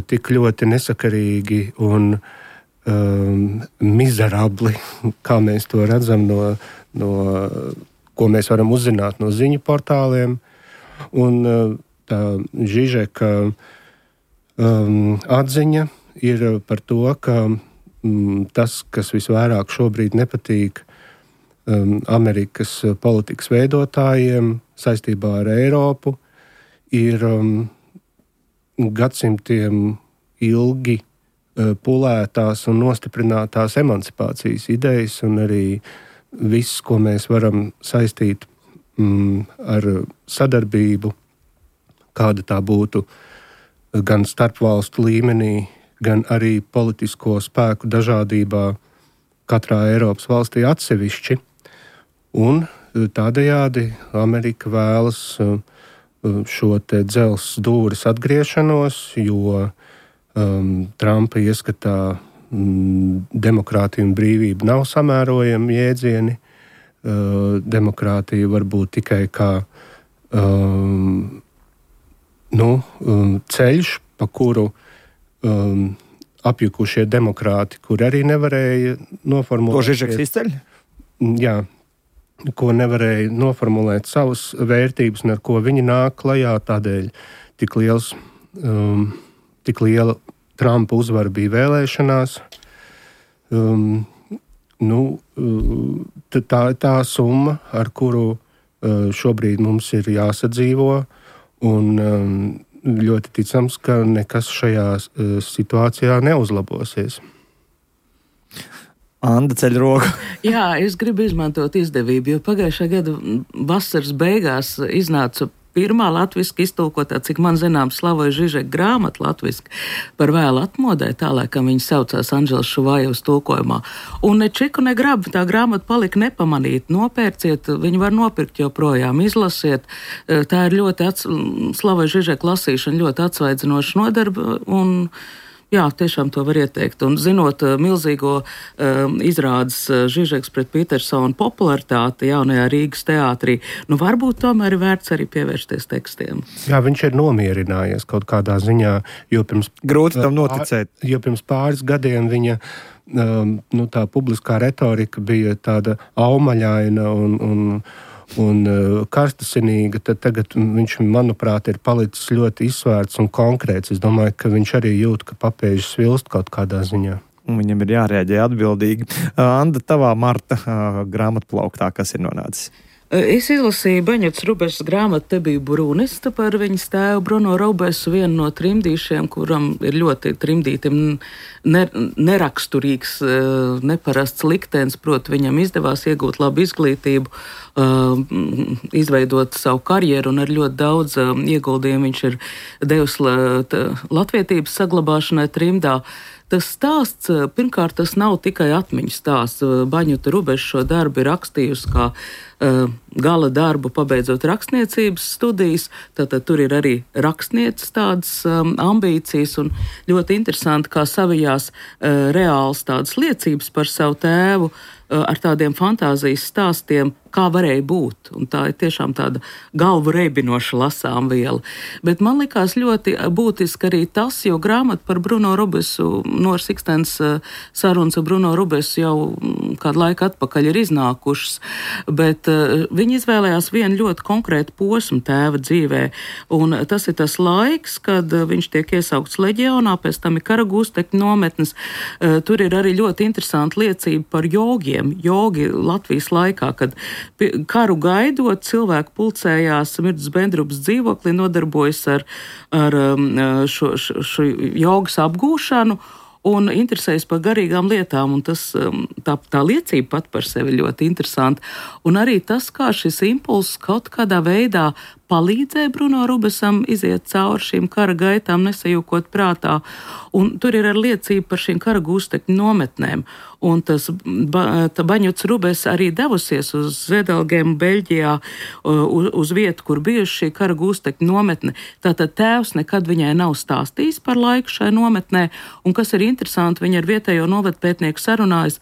tik ļoti nesakarīgi un um, mizerabli, kā mēs to redzam, no, no, ko mēs varam uzzināt no ziņu portāliem. Un tā Žižeka Um, atziņa ir par to, ka um, tas, kas visvairāk šobrīd nepatīk um, Amerikas politikas veidotājiem saistībā ar Eiropu, ir um, gadsimtiem ilgi uh, pulētās un nostiprinātās emancipācijas idejas, un arī viss, ko mēs varam saistīt um, ar sadarbību, kāda tā būtu gan starpvalstu līmenī, gan arī politisko spēku dažādībā katrā Eiropas valstī atsevišķi. Un tādējādi Amerika vēlas šo te dzelzs dūris atgriešanos, jo um, Trumpa ieskatā um, demokrātija un brīvība nav samērojami jēdzieni. Uh, demokrātija var būt tikai kā um, Nu, um, ceļš, pa kuru um, apjukušie demokrāti, kur arī nevarēja noformulēt... To Žižeks izceļ? Jā, ko nevarēja noformulēt savas vērtības, un ar ko viņi nāk klajā, tādēļ tik liels, um, tik liela Trumpa uzvara bija vēlēšanās. Um, nu, tā ir tā summa, ar kuru uh, šobrīd mums ir jāsadzīvo, un um, ļoti ticams, ka nekas šajā uh, situācijā neuzlabosies. Anda ceļ roku. Jā, es gribu izmantot izdevību, jo pagājušā gada vasaras beigās iznāca pirmā latviski iztulkotā, cik man zināms, Slavoja Žižeka grāmata latviski par vēlu atmodē, tā laikam viņa saucās Anžels Šuvājevs tulkojumā. Un ne čiku, ne grabu tā grāmata palika nepamanīt. Nopērciet, viņu var nopirkt joprojām, izlasiet. Tā ir ļoti, ats... Slavoja Žižeka lasīšana ļoti atsvaidzinoša nodarba, un jā, tiešām to var ieteikt. Un zinot uh, milzīgo uh, izrādes uh, Žižeks pret Petersonu popularitāti jaunajā Rīgas teātrī, nu varbūt tomēr ir vērts arī pievērsties tekstiem. Jā, viņš ir nomierinājies kaut kādā ziņā, jo pirms... Grūti tam noticēt. Pār, jo pirms pāris gadiem viņa um, nu, tā publiskā retorika bija tāda aumaļaina un... un un uh, karstasinīga, tad tagad viņš, manuprāt, ir palicis ļoti izsvērts un konkrēts. Es domāju, ka viņš arī jūt, ka papēžas svilst kaut kādā ziņā. Un viņam ir jārēģē atbildīgi. Uh, Anda, tavā marta uh, grāmatplauktā, kas ir nonācis? Es izlasīju Baņotas Rubešas grāmatu Te bija Brunista par viņas tēvu Bruno Rubesu, vienu no trimdīšiem, kuram ir ļoti trimdītim ne, neraksturīgs, neparasts liktenis, proti viņam izdevās iegūt labu izglītību, izveidot savu karjeru, un ar ļoti daudz ieguldījumu viņš ir devis latvietības saglabāšanai trimdā. Tas stāsts, pirmkārt, tas nav tikai atmiņu stāsts. Baņota Rubeša šo darbu ir rakstījusi kā gala darbu, pabeidzot rakstniecības studijas. Tātad tur ir arī rakstnieces tādas um, ambīcijas un ļoti interesanti, kā savijās uh, reāls tādas liecības par savu tēvu uh, ar tādiem fantāzijas stāstiem, kā varēja būt. Un tā ir tiešām tāda galvu reibinoša lasām viela. Bet man likās ļoti būtiski arī tas, jo grāmata par Bruno Rubesu, Noras Ikstens sarunas ar Bruno Rubesu jau kādu laiku atpakaļ ir iznākušas, bet uh, viņi izvēlējās vienu ļoti konkrētu posmu tēva dzīvē. Un tas ir tas laiks, kad viņš tiek iesaukts leģionā, pēc tam ir kara gūstekņu nometnes. Uh, tur ir arī ļoti interesanta liecība par jogiem. Jogi Latvijas laikā, kad karu gaidot, cilvēki pulcējās Mirdzes Bendrupas dzīvoklī, nodarbojas ar, ar šo, šo, šo jogas apgūšanu un interesējas par garīgām lietām. Un tas, tā, tā liecība pat par sevi ļoti interesanta. Un arī tas, kā šis impulss kaut kādā veidā palīdzēja Bruno Rubesam iziet cauri šīm kara gaitām, nesajūkot prātā. Un tur ir arī liecība par šīm kara gūstekņu nometnēm. Un tas ba, Baņots Rubes arī devusies uz Zvedelgēm, Beļģijā, uz, uz vietu, kur bijuši šī kara gūstekņu nometne. Tātad tēvs nekad viņai nav stāstījis par laiku šai nometnē, un kas ir interesanti, viņa ar vietējo novadpētnieku sarunājas,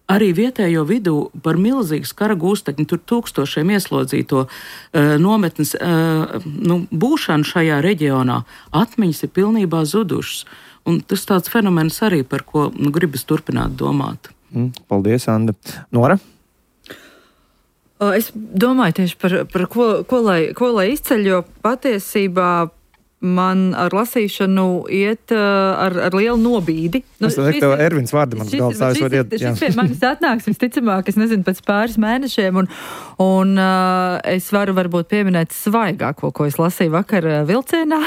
arī vietējo vidū par milzīgas kara gūstekņu, tur tūkstošiem ieslodzīto uh, nometnes uh, nu, būšanu šajā reģionā. Atmiņas ir pilnībā zudušas. Un tas tāds fenomens arī, par ko nu, gribas turpināt domāt. Mm, paldies, Anda. Nora? Es domāju tieši par, par ko, ko, lai, ko lai izceļ, jo patiesībā man ar lasīšanu iet uh, ar, ar lielu nobīdi. Nu, es domāju, ka tev Ervins vārdi mans galvas tā es var iet. Šis pie manis atnāks visticamāk, es nezinu, pēc pāris mēnešiem, un, un uh, es varu varbūt pieminēt svaigāko, ko es lasīju vakar vilcienā.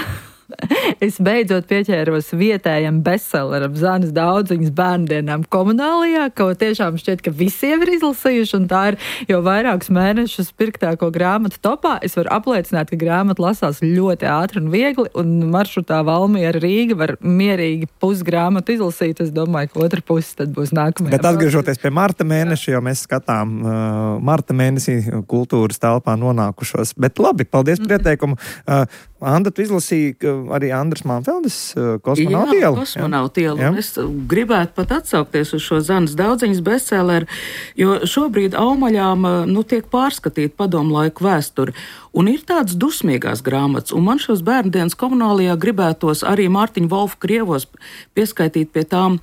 Es beidzot pieķēros vietējam bestselleram Zanes Daudziņas bērndienām Komunālijā, ko tiešām šķiet, ka visiem ir izlasījuši, un tā ir jau vairākus mēnešus pirktāko grāmatu topā. Es varu apliecināt, ka grāmata lasās ļoti ātri un viegli, un maršrutā Valmiera Rīga var mierīgi pusgrāmatu izlasīt. Es domāju, ka otra pusi tad būs nākamajā. Bet atgriežoties pie marta mēneša, jo mēs skatām uh, marta mēnesī kultūras telpā nonākušos. Bet labi, paldies par ieteikumu. Uh, Anda, tu izlasīji arī Andras Manfeldes Kosmonauta ielu? Jā, Kosmonauta ielu. Es gribētu pat atsaukties uz šo Zanes Daudziņas bestselleru, jo šobrīd Aumaļām nu, tiek pārskatīt padomu laiku vēsturi. Un ir tādas dusmīgās grāmatas, un man šos bērndienas Komunālijā gribētos arī Mārtiņu Volfu Krievos pieskaitīt pie tām,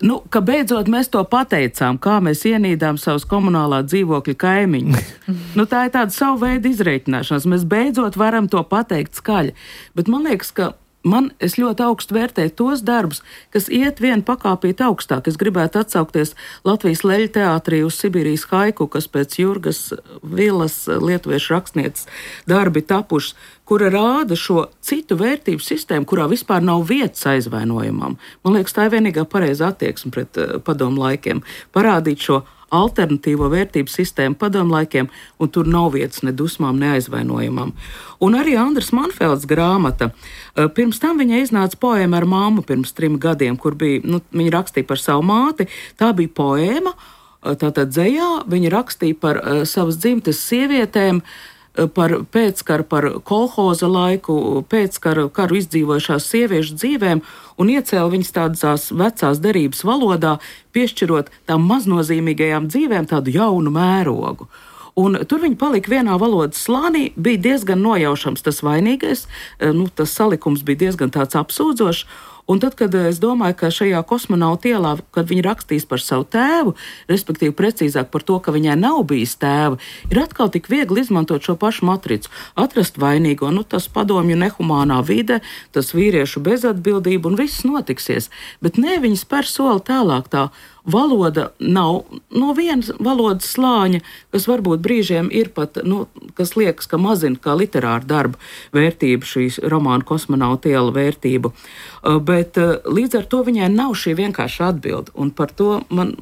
nu, ka beidzot mēs to pateicām, kā mēs ienīdām savus komunālā dzīvokļa kaimiņus. Nu, tā ir tāda savu veidu izreikināšanās. Mēs beidzot varam to pateikt skaļi. Bet man liekas, ka man, es ļoti augstu vērtēju tos darbus, kas iet vienu pakāpīt augstāk. Es gribētu atsaukties Latvijas Leļu teātrī uz Sibīrijas haiku, kas pēc Jurgas Vilas lietuviešu rakstnieces darbi tapušas, kura rāda šo citu vērtību sistēmu, kurā vispār nav vietas aizvainojumam. Man liekas, tā ir vienīgā pareiza attieksme pret uh, padomu laikiem. Parādīt šo alternatīvo vērtību sistēmu padomu laikiem, un tur nav vietas ne dusmām, ne aizvainojumam. Un arī Andras Manfeldes grāmata. Pirms tam viņa iznāca poēma ar māmu pirms trim gadiem, kur bija, nu, viņa rakstīja par savu māti. Tā bija poēma, tātad dzejā, viņa rakstīja par uh, savas dzimtes sievietēm, par pēckaru, par kolhoza laiku, pēckaru karu izdzīvojušās sieviešu dzīvēm un iecēla viņas tādās vecās derības valodā, piešķirot tām maznozīmīgajām dzīvēm tādu jaunu mērogu. Un tur viņi palika vienā valodas slānī, bija diezgan nojaušams tas vainīgais, nu, tas salikums bija diezgan tāds apsūdzošs. Un tad, kad es domāju, ka šajā Kosmonauta ielā, kad viņi rakstīs par savu tēvu, respektīvi precīzāk par to, ka viņai nav bijis tēva, ir atkal tik viegli izmantot šo pašu matricu, atrast vainīgo, nu tas padomju nehumānā vide, tas vīriešu bezatbildība un viss notiksies. Bet ne, viņi spēr soli tālāk, tā valoda nav no vienas valodas slāņa, kas varbūt brīžiem ir pat, nu, kas liekas, ka mazina kā literāra darba vērtību, šīs romāna Kosmonauta iela vērtību. Bet līdz ar to viņai nav šī vienkārša atbilde, un par to man,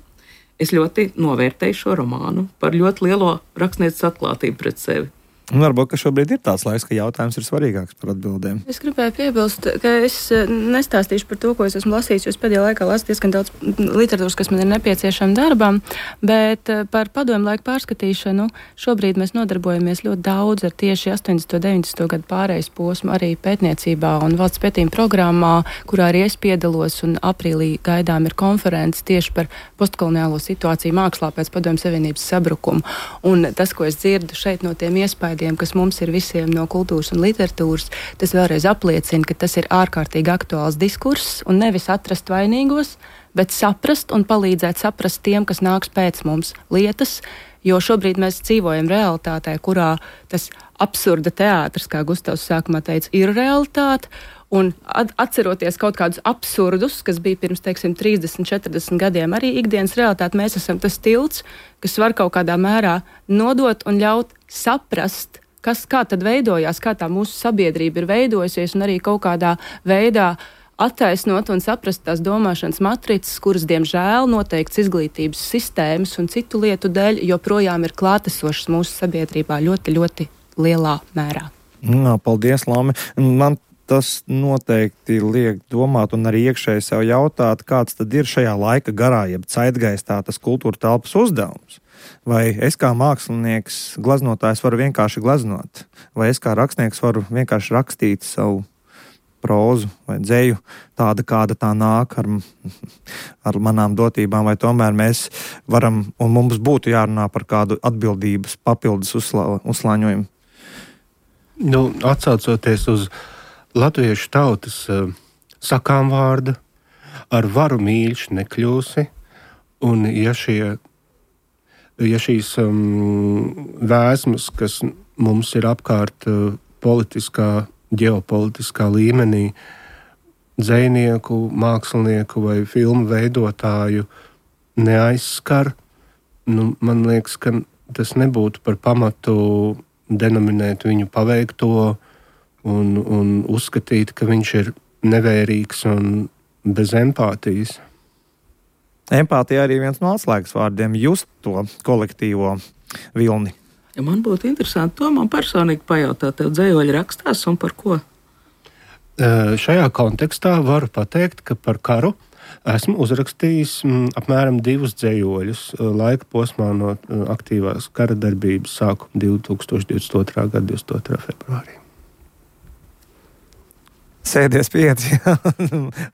es ļoti novērtēju šo romānu, par ļoti lielo rakstnieces atklātību pret sevi. Un varbūt, ka šobrīd ir tāds laiks, ka jautājums ir svarīgāks par atbildēm. Es gribēju piebilst, ka es nestāstīšu par to, ko es esmu lasījis, jo es pēdējā laikā lasu diezgan daudz literatūras, kas man ir nepieciešama darbam, bet par padomu laiku pārskatīšanu šobrīd mēs nodarbojamies ļoti daudz ar tieši astoņdesmito deviņdesmito gadu pārejas posmu arī pētniecībā un valsts pētījuma programmā, kurā arī es piedalos, un aprīlī gaidām ir konferences tieši par postkoloniālo situāciju mākslā pēc Padomju Savienības sabrukuma. Un tas, ko es dzirdu šeit no tiem iespējām, kas mums ir visiem no kultūras un literatūras, tas vēlreiz apliecina, ka tas ir ārkārtīgi aktuāls diskurss un nevis atrast vainīgos, bet saprast un palīdzēt saprast tiem, kas nāks pēc mums lietas, jo šobrīd mēs dzīvojam realitātē, kurā tas absurda teātris, kā Gustavs sākumā teica, ir realitāte, un atceroties kaut kādus absurdus, kas bija pirms, teiksim, trīsdesmit, četrdesmit gadiem, arī ikdienas realitāte, mēs esam tas tilts, kas var kaut kādā mērā nodot un ļaut saprast, kas kā tad veidojās, kā tā mūsu sabiedrība ir veidojusies, un arī kaut kādā veidā attaisnot un saprast tās domāšanas matricas, kuras, diemžēl, noteikts izglītības sistēmas un citu lietu dēļ joprojām ir klātesošas mūsu sabiedrībā ļoti, ļoti lielā mērā. Jā, paldies, Lami. Man tas noteikti liek domāt un arī iekšēji sev jautāt, kāds tad ir šajā laika garā, jeb zeitgeistā tas kultūra telpas uzdevums. Vai es kā mākslinieks, glaznotājs varu vienkārši glaznot, vai es kā rakstnieks varu vienkārši rakstīt savu prózu vai dzeju tāda, kāda tā nāk ar, ar manām dotībām, vai tomēr mēs varam un mums būtu jārunā par kādu atbildības papildus uzslā, uzslāņojumu. Nu, atsaucoties uz latviešu tautas uh, sakām vārdu, ar varu mīļš nekļūsi, un ja, šie, ja šīs um, vēsmas, kas mums ir apkārt uh, politiskā, ģeopolitiskā līmenī, dzejnieku, mākslinieku vai filmu veidotāju neaizskar, nu, man liekas, ka tas nebūtu par pamatu denominēt viņu paveikto un, un uzskatīt, ka viņš ir nevērīgs un bez empātijas. Empātija arī viens no atslēgas vārdiem, just to kolektīvo vilni. Ja man būtu interesanti to man personīgi pajautāt, tev dzējoļi rakstās un par ko? Uh, šajā kontekstā varu pateikt, ka par karu esmu uzrakstījis m, apmēram divus dzējoļus uh, laika posmā no uh, aktīvās kara darbības sākuma divtūkstoš divdesmit otrā gada divdesmit otrā februārī. Sēdies pieci,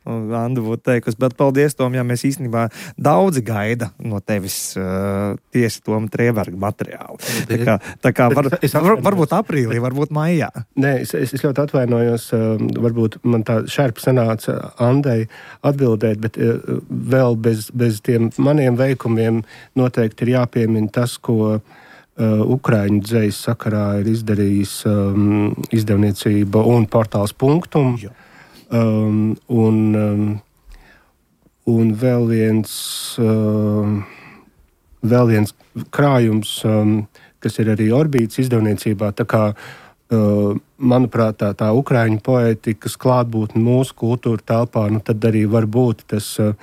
Anda būtu teikusi, bet paldies, Tom, ja mēs īstenībā daudzi gaida no tevis uh, tieši Toma Trēberga materiālu. Tā kā, tā kā var, var, varbūt aprīlī, varbūt maijā. Nē, es, es ļoti atvainojos, uh, varbūt man tā šerpa sanāca Andai atbildēt, bet uh, vēl bez, bez tiem maniem veikumiem noteikti ir jāpiemina tas, ko Uh, Ukraiņu dzejas sakarā ir izdarījis um, izdevniecība un portāls Punktum. Um, un, um, un vēl viens, um, vēl viens krājums, um, kas ir arī Orbītas izdevniecībā. Tā kā, uh, manuprāt, tā, tā Ukraiņu poētikas klātbūtne mūsu kultūra telpā, nu tad arī var būt tas uh,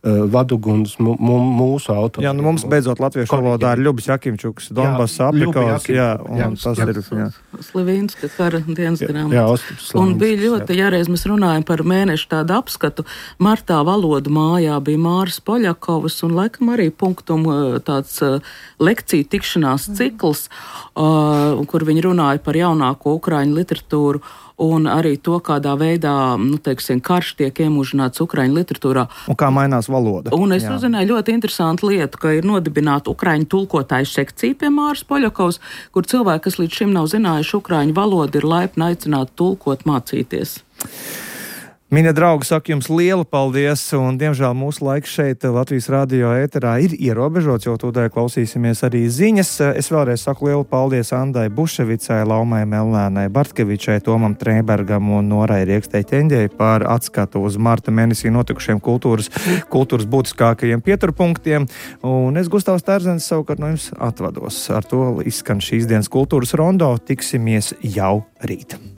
vaduguns m- m- mūsu autoriem. Jā, nu mums beidzot latviešu valodā ir Ļubis Jakimčuks, Donbass aprikos, jā, un jā, tas jā, ir, jā. Slivinska kara dienas grāmata. Jā, Ostips Slivinska. Un bija ļoti, ja reiz mēs runājam par mēnešu tādu apskatu, martā valodu mājā bija Māris Poļakovas un laikam arī Punktum tāds lekciju tikšanās cikls, uh, kur viņi runāja par jaunāko ukraiņu literatūru. Un arī to, kādā veidā, nu, teiksim, karš tiek iemūžināts ukraiņu literatūrā. Un kā mainās valoda. Un es jā. uzzināju ļoti interesantu lietu, ka ir nodibināta ukraiņu tulkotāju sekcija pie Māris Poļakovs, kur cilvēki, kas līdz šim nav zinājuši ukraiņu valodu, ir laipni aicināti tulkot, mācīties. Mīļie draugi, saku jums lielu paldies, un diemžēl mūsu laiks šeit Latvijas radio ēterā ir ierobežots, jo tūdēļ klausīsimies arī ziņas. Es vēlreiz saku lielu paldies Andai Buševicai, Laumai Melnēnai Bartkevičai, Tomam Trēbergam un Norai Riekstei Ķeņģei par atskatu uz marta mēnesī notikušiem kultūras, kultūras būtiskākajiem pieturpunktiem. Un es, Gustavs Terzens, savukārt no jums atvados. Ar to izskan šīs dienas kultūras rondo. Tiksimies jau rīt.